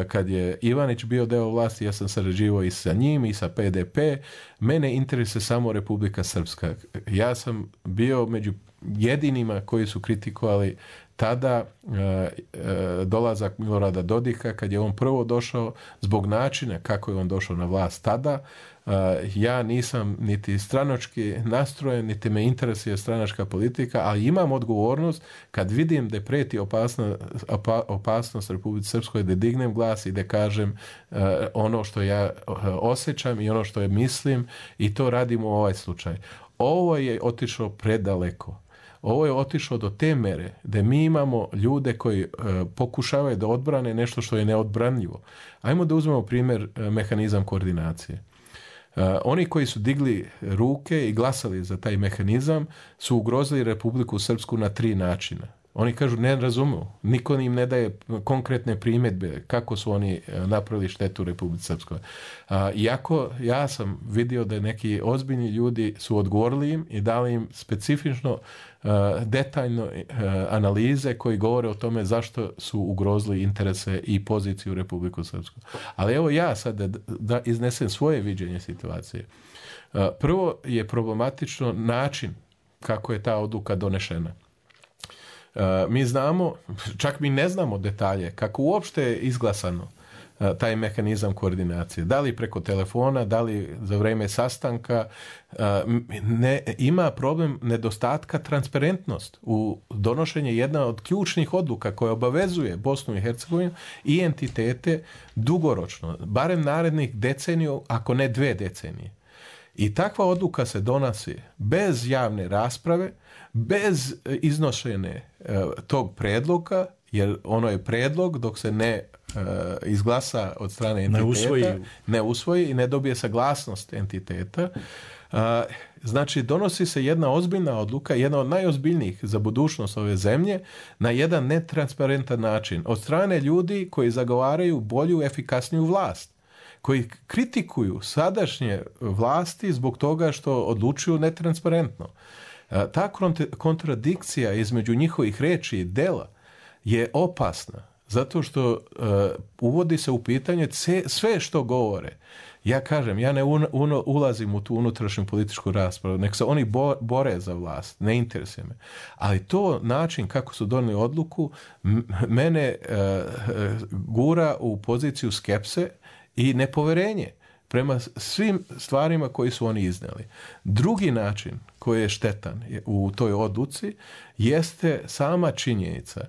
Kad je Ivanić bio deo vlasti, ja sam sarađivao i sa njim i sa P D P. Mene interesuje samo Republika Srpska. Ja sam bio među jedinima koji su kritikovali tada uh, uh, dolazak Milorada Dodika kad je on prvo došao zbog načina kako je on došao na vlast tada. Uh, ja nisam niti stranački nastrojen, niti me interesuje stranačka politika, ali imam odgovornost kad vidim da preti opasna, opa, opasnost Republici Srpskoj da dignem glas i da kažem uh, ono što ja uh, osjećam i ono što je mislim i to radim u ovaj slučaj. Ovo je otišlo predaleko. Ovo je otišlo do te mere da mi imamo ljude koji e, pokušavaju da odbrane nešto što je neodbranljivo. Ajmo da uzmemo primjer e, mehanizam koordinacije. E, oni koji su digli ruke i glasali za taj mehanizam su ugrozili Republiku Srpsku na tri načina. Oni kažu ne razumiju, niko im ne daje konkretne primjedbe kako su oni napravili štetu Republici Srpskoj. A, iako ja sam vidio da neki ozbiljni ljudi su odgovorili im i dali im specifično a, detaljno a, analize koji govore o tome zašto su ugrozili interese i poziciju Republiku Srpsku. Ali evo ja sad da, da iznesem svoje viđenje situacije. A, prvo je problematično način kako je ta odluka donešena. Uh, mi znamo, čak mi ne znamo detalje kako uopšte je izglasano taj mehanizam koordinacije. Da li preko telefona, da li za vrijeme sastanka, ne, ima problem nedostatka transparentnost u donošenje jedna od ključnih odluka koja obavezuje Bosnu i Hercegovinu i entitete dugoročno, barem narednih deceniju, ako ne dve decenije. I takva odluka se donosi bez javne rasprave, bez iznošene tog predloga, jer ono je predlog dok se ne uh, izglasa od strane entiteta, ne usvoji. ne usvoji i ne dobije saglasnost entiteta. Uh, znači, donosi se jedna ozbiljna odluka, jedna od najozbiljnijih za budućnost ove zemlje, na jedan netransparentan način. Od strane ljudi koji zagovaraju bolju, efikasniju vlast, koji kritikuju sadašnje vlasti zbog toga što odlučuju netransparentno. Uh, ta kontradikcija između njihovih riječi i dela je opasna, zato što uh, uvodi se u pitanje sve što govore. Ja kažem, ja ne un, un, ulazim u tu unutrašnju političku raspravu, nek se oni bo, bore za vlast, ne interesuje me. Ali to način kako su donijeli odluku m- mene uh, gura u poziciju skepse i nepoverenje prema svim stvarima koji su oni iznijeli. Drugi način koji je štetan u toj odluci jeste sama činjenica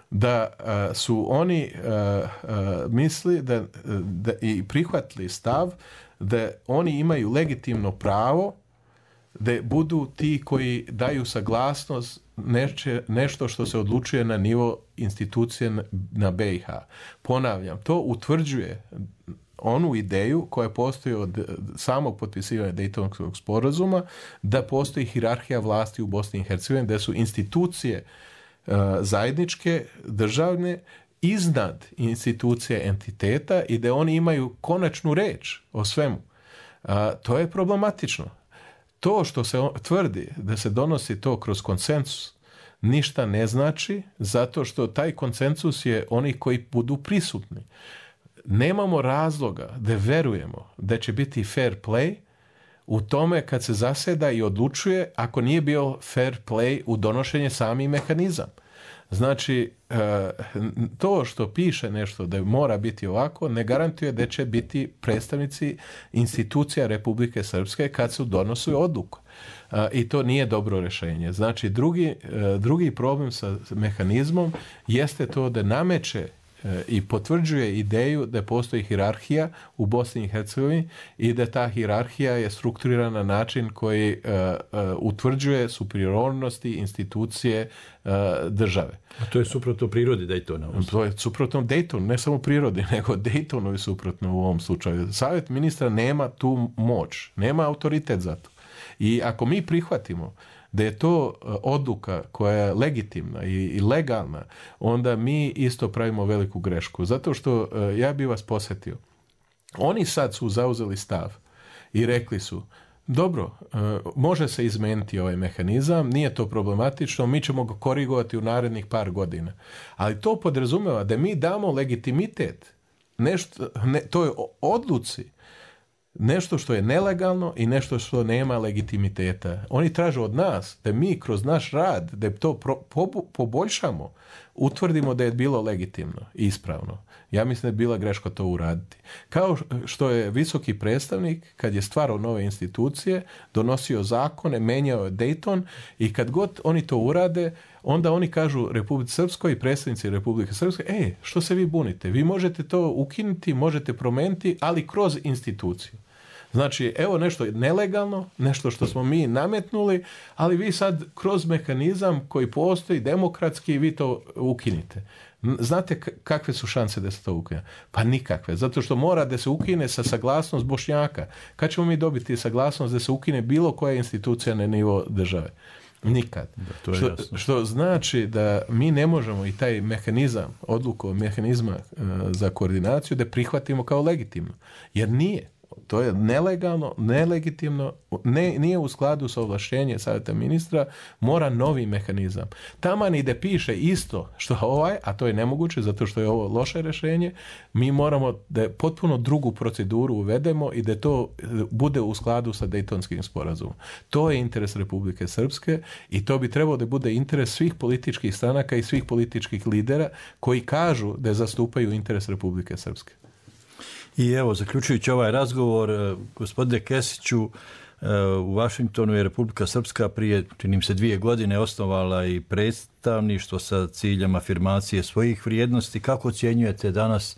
da uh, su oni uh, uh, misli da, da i prihvatili stav da oni imaju legitimno pravo da budu ti koji daju saglasnost neče, nešto što se odlučuje na nivo institucije na, na B i H. Ponavljam, to utvrđuje onu ideju koja postoji od samog potpisivanja Dejtonskog sporazuma, da postoji hijerarhija vlasti u Bosni i Hercegovini, da su institucije zajedničke, državne, iznad institucije entiteta i da oni imaju konačnu reč o svemu. A, to je problematično. To što se tvrdi da se donosi to kroz konsensus ništa ne znači, zato što taj konsensus je oni koji budu prisutni. Nemamo razloga da verujemo da će biti fair play u tome kad se zaseda i odlučuje ako nije bio fair play u donošenje sami mehanizam. Znači, to što piše nešto da mora biti ovako, ne garantuje da će biti predstavnici institucija Republike Srpske kad su donosi odluku. I to nije dobro rješenje. Znači, drugi, drugi problem sa mehanizmom jeste to da nameće i potvrđuje ideju da postoji hijerarhija u Bosni i Hercegovini i da ta hijerarhija je strukturirana na način koji uh, uh, utvrđuje superiornosti institucije uh, države. A to je suprotno prirodi Daytona. To je suprotno Daytonu, ne samo prirodi, nego Daytonu je suprotno u ovom slučaju. Savjet ministra nema tu moć, nema autoritet za to. I ako mi prihvatimo da je to odluka koja je legitimna i, i legalna, onda mi isto pravimo veliku grešku. Zato što, ja bih vas posjetio, oni sad su zauzeli stav i rekli su, dobro, može se izmijeniti ovaj mehanizam, nije to problematično, mi ćemo ga korigovati u narednih par godina. Ali to podrazumijeva da mi damo legitimitet nešto, ne, toj odluci, nešto što je nelegalno i nešto što nema legitimiteta. Oni traže od nas da mi kroz naš rad, da to pro, po, poboljšamo, utvrdimo da je bilo legitimno i ispravno. Ja mislim da je bila greška to uraditi. Kao što je visoki predstavnik, kad je stvarao nove institucije, donosio zakone, menjao je Dayton i kad god oni to urade, onda oni kažu Republici Srpskoj i predstavnici Republike Srpske, e, što se vi bunite? Vi možete to ukinuti, možete promijeniti, ali kroz instituciju. Znači, evo nešto nelegalno, nešto što smo mi nametnuli, ali vi sad kroz mehanizam koji postoji demokratski, vi to ukinite. Znate kakve su šanse da se to ukine? Pa nikakve, zato što mora da se ukine sa saglasnost Bošnjaka. Kad ćemo mi dobiti saglasnost da se ukine bilo koja institucija na nivo države? Nikad. Da, to je što, što znači da mi ne možemo i taj mehanizam, odluku mehanizma uh, za koordinaciju da prihvatimo kao legitimno. Jer nije. To je nelegalno, nelegitimno, ne, nije u skladu sa ovlaštenjem savjeta ministra, mora novi mehanizam. Taman i da piše isto što ovaj, a to je nemoguće zato što je ovo loše rješenje, mi moramo da potpuno drugu proceduru uvedemo i da to bude u skladu sa Dejtonskim sporazumom. To je interes Republike Srpske i to bi trebalo da bude interes svih političkih stranaka i svih političkih lidera koji kažu da zastupaju interes Republike Srpske. I evo, zaključujući ovaj razgovor, gospodine Kesiću, u Vašingtonu je Republika Srpska prije, činim se, dvije godine osnovala i predstavništvo sa ciljem afirmacije svojih vrijednosti. Kako ocjenjujete danas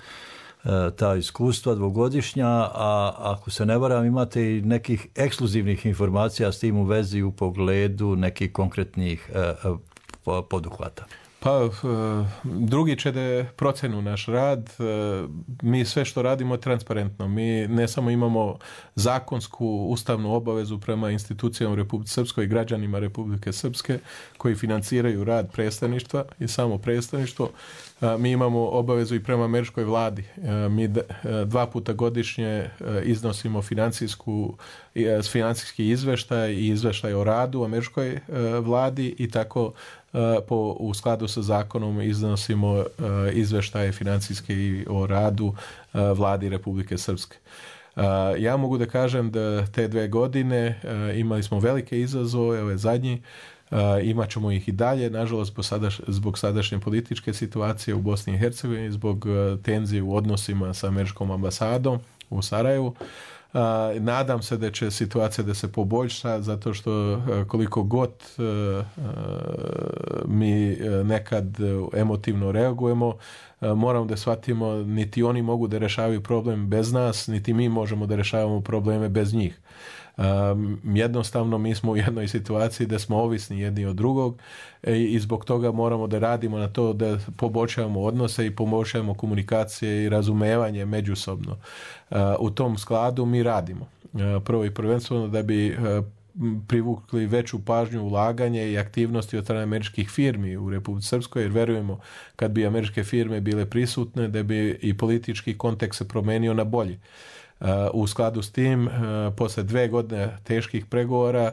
ta iskustva dvogodišnja, a ako se ne varam imate i nekih ekskluzivnih informacija s tim u vezi u pogledu nekih konkretnih poduhvata? Pa, drugi će da procenu naš rad. Mi sve što radimo je transparentno. Mi ne samo imamo zakonsku ustavnu obavezu prema institucijama u Republike Srpskoj i građanima Republike Srpske koji financiraju rad predstavništva i samo predstavništvo. Mi imamo obavezu i prema američkoj vladi. Mi dva puta godišnje iznosimo financijsku, financijski izveštaj i izveštaj o radu američkoj vladi i tako po, u skladu sa zakonom iznosimo izveštaje financijske o radu vladi Republike Srpske. Ja mogu da kažem da te dve godine imali smo velike izazove, ove zadnji, Uh, imat ćemo ih i dalje, nažalost zbog, sadaš, zbog sadašnje političke situacije u Bosni i Hercegovini, zbog uh, tenzije u odnosima sa američkom ambasadom u Sarajevu. Uh, nadam se da će situacija da se poboljša, zato što uh, koliko god uh, uh, mi uh, nekad emotivno reagujemo, uh, moramo da shvatimo niti oni mogu da rešavaju problem bez nas, niti mi možemo da rešavamo probleme bez njih. Um, jednostavno mi smo u jednoj situaciji da smo ovisni jedni od drugog i, i zbog toga moramo da radimo na to da poboljšavamo odnose i poboljšavamo komunikacije i razumevanje međusobno. Uh, u tom skladu mi radimo. Uh, prvo i prvenstveno da bi uh, privukli veću pažnju, ulaganje i aktivnosti od strane američkih firmi u Republici Srpskoj, jer verujemo kad bi američke firme bile prisutne da bi i politički kontekst se promenio na bolje. Uh, u skladu s tim, uh, posle dve godine teških pregovora,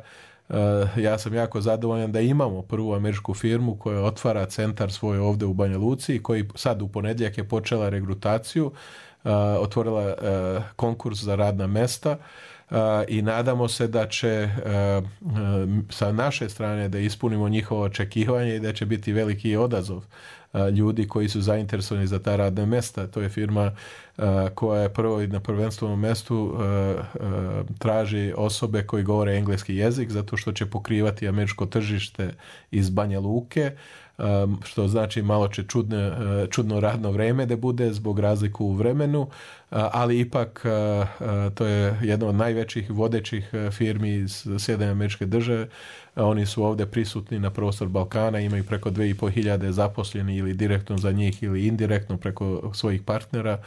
uh, ja sam jako zadovoljan da imamo prvu američku firmu koja otvara centar svoj ovde u Banja Luci i koji sad u ponedjeljak je počela regrutaciju, uh, otvorila uh, konkurs za radna mesta uh, i nadamo se da će uh, uh, sa naše strane da ispunimo njihovo očekivanje i da će biti veliki odazov ljudi koji su zainteresovani za ta radna mesta. To je firma uh, koja je prvo i na prvenstvenom mestu uh, uh, traži osobe koji govore engleski jezik zato što će pokrivati američko tržište iz Banja Luke, um, što znači malo će čudne, uh, čudno radno vreme da bude zbog razliku u vremenu, uh, ali ipak uh, uh, to je jedna od najvećih vodećih uh, firmi iz Sjedinjenih Američke Države. Oni su ovdje prisutni na prostor Balkana, imaju preko dve i po hiljade zaposleni ili direktno za njih ili indirektno preko svojih partnera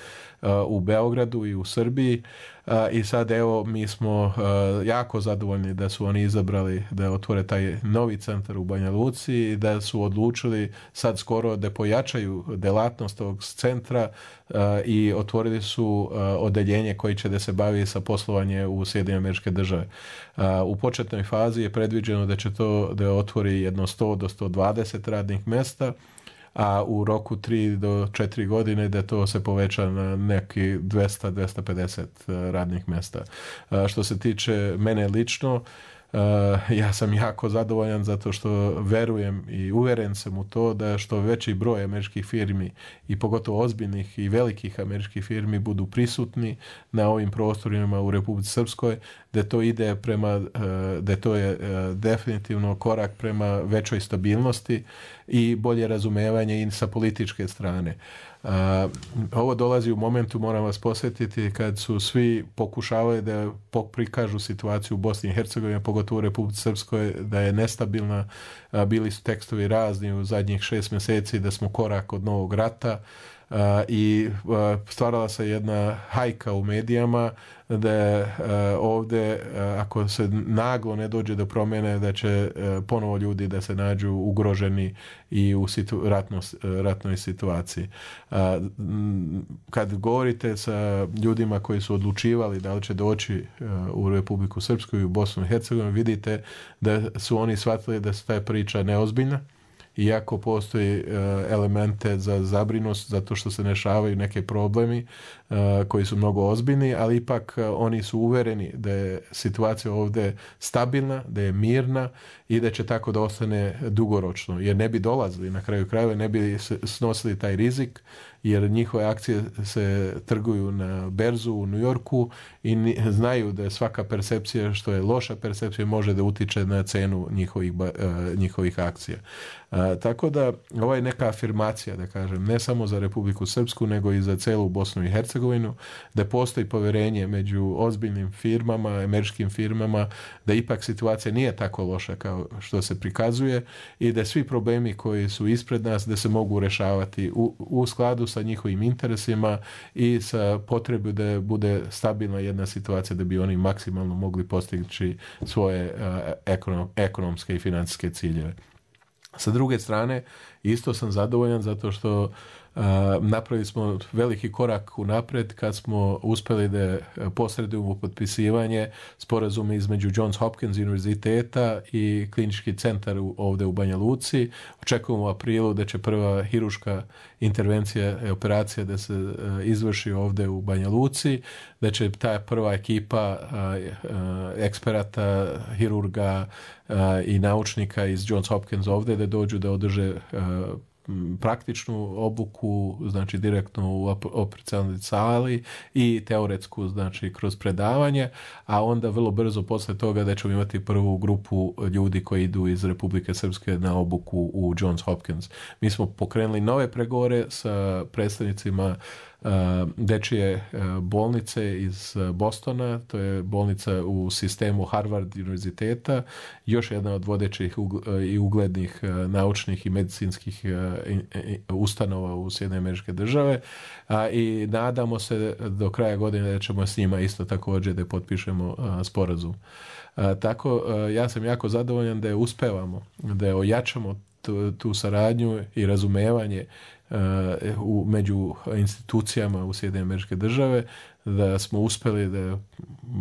uh, u Beogradu i u Srbiji. Uh, I sad evo mi smo uh, jako zadovoljni da su oni izabrali da otvore taj novi centar u Banja Luci i da su odlučili sad skoro da pojačaju delatnost ovog centra uh, i otvorili su uh, odeljenje koji će da se bavi sa poslovanje u Sjedinjene Američke Države. Uh, u početnoj fazi je predviđeno da će to da otvori jedno sto do sto dvadeset radnih mesta, a u roku tri do četiri godine da to se poveća na neki dvesta do dvesta pedeset radnih mesta. Što se tiče mene lično, ja sam jako zadovoljan zato što verujem i uveren sam u to da što veći broj američkih firmi i pogotovo ozbiljnih i velikih američkih firmi budu prisutni na ovim prostorima u Republici Srpskoj, da to ide prema, da to je definitivno korak prema većoj stabilnosti i bolje razumevanje i sa političke strane. Uh, ovo dolazi u momentu, moram vas posjetiti, kad su svi pokušavali da prikažu situaciju u Bosni i Hercegovini, pogotovo u Republici Srpskoj, da je nestabilna. Uh, bili su tekstovi razni u zadnjih šest mjeseci da smo korak od novog rata. Uh, i uh, stvarala se jedna hajka u medijama da je uh, ovdje, uh, ako se naglo ne dođe do promjene, da će uh, ponovo ljudi da se nađu ugroženi i u situ, ratno, uh, ratnoj situaciji. Uh, kad govorite sa ljudima koji su odlučivali da li će doći uh, u Republiku Srpsku i u Bosnu i Hercegovinu, vidite da su oni shvatili da se ta priča neozbiljna, iako postoji uh, elemente za zabrinost zato što se rešavaju neke problemi uh, koji su mnogo ozbiljni, ali ipak uh, oni su uvereni da je situacija ovdje stabilna, da je mirna i da će tako da ostane dugoročno, jer ne bi dolazili na kraju krajeva, ne bi snosili taj rizik jer njihove akcije se trguju na berzu u New Yorku i znaju da je svaka percepcija što je loša percepcija može da utiče na cenu njihovih, njihovih akcija. A, tako da ovo je neka afirmacija, da kažem, ne samo za Republiku Srpsku, nego i za celu Bosnu i Hercegovinu, da postoji poverenje među ozbiljnim firmama, američkim firmama, da ipak situacija nije tako loša kao što se prikazuje i da svi problemi koji su ispred nas da se mogu rešavati u, u skladu sa njihovim interesima i sa potrebu da bude stabilna jedna situacija da bi oni maksimalno mogli postići svoje uh, ekonom, ekonomske i financijske ciljeve. Sa druge strane, isto sam zadovoljan zato što uh, napravili smo veliki korak unapred kad smo uspeli da posredujemo potpisivanje sporazuma između Johns Hopkins univerziteta i klinički centar u, ovde u Banja Luci. Očekujemo u aprilu da će prva hiruška intervencija i operacija da se uh, izvrši ovde u Banja Luci, da će ta prva ekipa uh, uh, eksperata, hirurga uh, i naučnika iz Johns Hopkins ovde da dođu da održe uh, praktičnu obuku, znači direktno u operacionalnoj sali i teoretsku, znači kroz predavanje, a onda vrlo brzo posle toga da ćemo imati prvu grupu ljudi koji idu iz Republike Srpske na obuku u Johns Hopkins. Mi smo pokrenuli nove pregovore sa predstavnicima Uh, dečije uh, bolnice iz uh, Bostona, to je bolnica u sistemu Harvard univerziteta, još jedna od vodećih ugl- uh, i uglednih uh, naučnih i medicinskih uh, in, in, ustanova u Sjedinjene Američke Države uh, i nadamo se do kraja godine da ćemo s njima isto također da potpišemo uh, sporazum. Uh, tako uh, ja sam jako zadovoljan da je uspevamo, da je ojačamo tu, tu saradnju i razumevanje Uh, u, među institucijama u Sjedinjene Američke Države, da smo uspeli da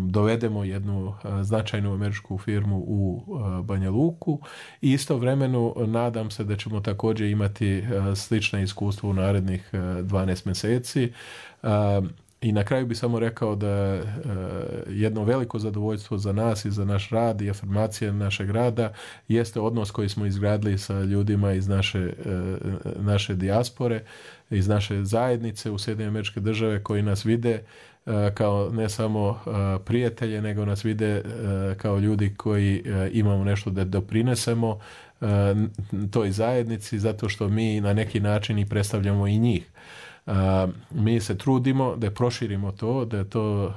dovedemo jednu uh, značajnu američku firmu u uh, Banja Luku i istovremeno nadam se da ćemo također imati uh, slične iskustvo u narednih uh, dvanaest mjeseci. Uh, I na kraju bi samo rekao da uh, jedno veliko zadovoljstvo za nas i za naš rad i afirmacija našeg rada jeste odnos koji smo izgradili sa ljudima iz naše, uh, naše dijaspore, iz naše zajednice u Sjedinjene Američke Države koji nas vide uh, kao ne samo uh, prijatelje, nego nas vide uh, kao ljudi koji uh, imamo nešto da doprinesemo uh, toj zajednici zato što mi na neki način i predstavljamo i njih. Uh, mi se trudimo da proširimo to, da to uh,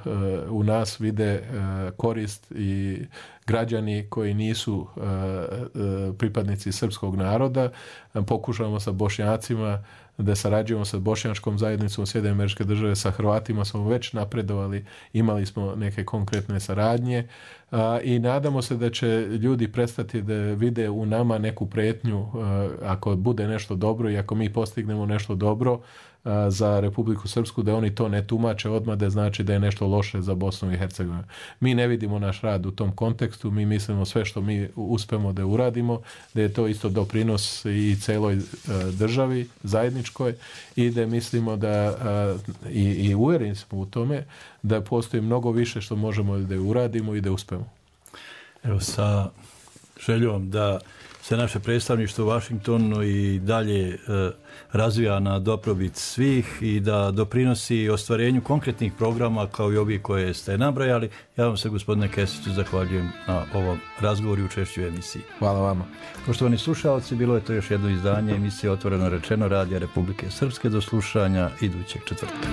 u nas vide uh, korist i građani koji nisu uh, uh, pripadnici srpskog naroda. Uh, pokušavamo sa Bošnjacima da sarađujemo sa bošnjačkom zajednicom Sjedinjene Američke Države, sa Hrvatima smo već napredovali, imali smo neke konkretne saradnje uh, i nadamo se da će ljudi prestati da vide u nama neku pretnju uh, ako bude nešto dobro i ako mi postignemo nešto dobro za Republiku Srpsku, da oni to ne tumače odmah da znači da je nešto loše za Bosnu i Hercegovinu. Mi ne vidimo naš rad u tom kontekstu, mi mislimo sve što mi uspemo da uradimo, da je to isto doprinos i celoj državi zajedničkoj i da mislimo da i, i uvjereni smo u tome da postoji mnogo više što možemo da uradimo i da uspemo. Evo sa željom da se naše predstavništvo u Vašingtonu i dalje e, razvija na dobrobit svih i da doprinosi ostvarenju konkretnih programa kao i ovi koje ste nabrajali. Ja vam se, gospodine Kesiću, zahvaljujem na ovom razgovoru i učešću u emisiji. Hvala vama. Poštovani slušalci, bilo je to još jedno izdanje emisije Otvoreno rečeno Radija Republike Srpske. Do slušanja idućeg četvrtka.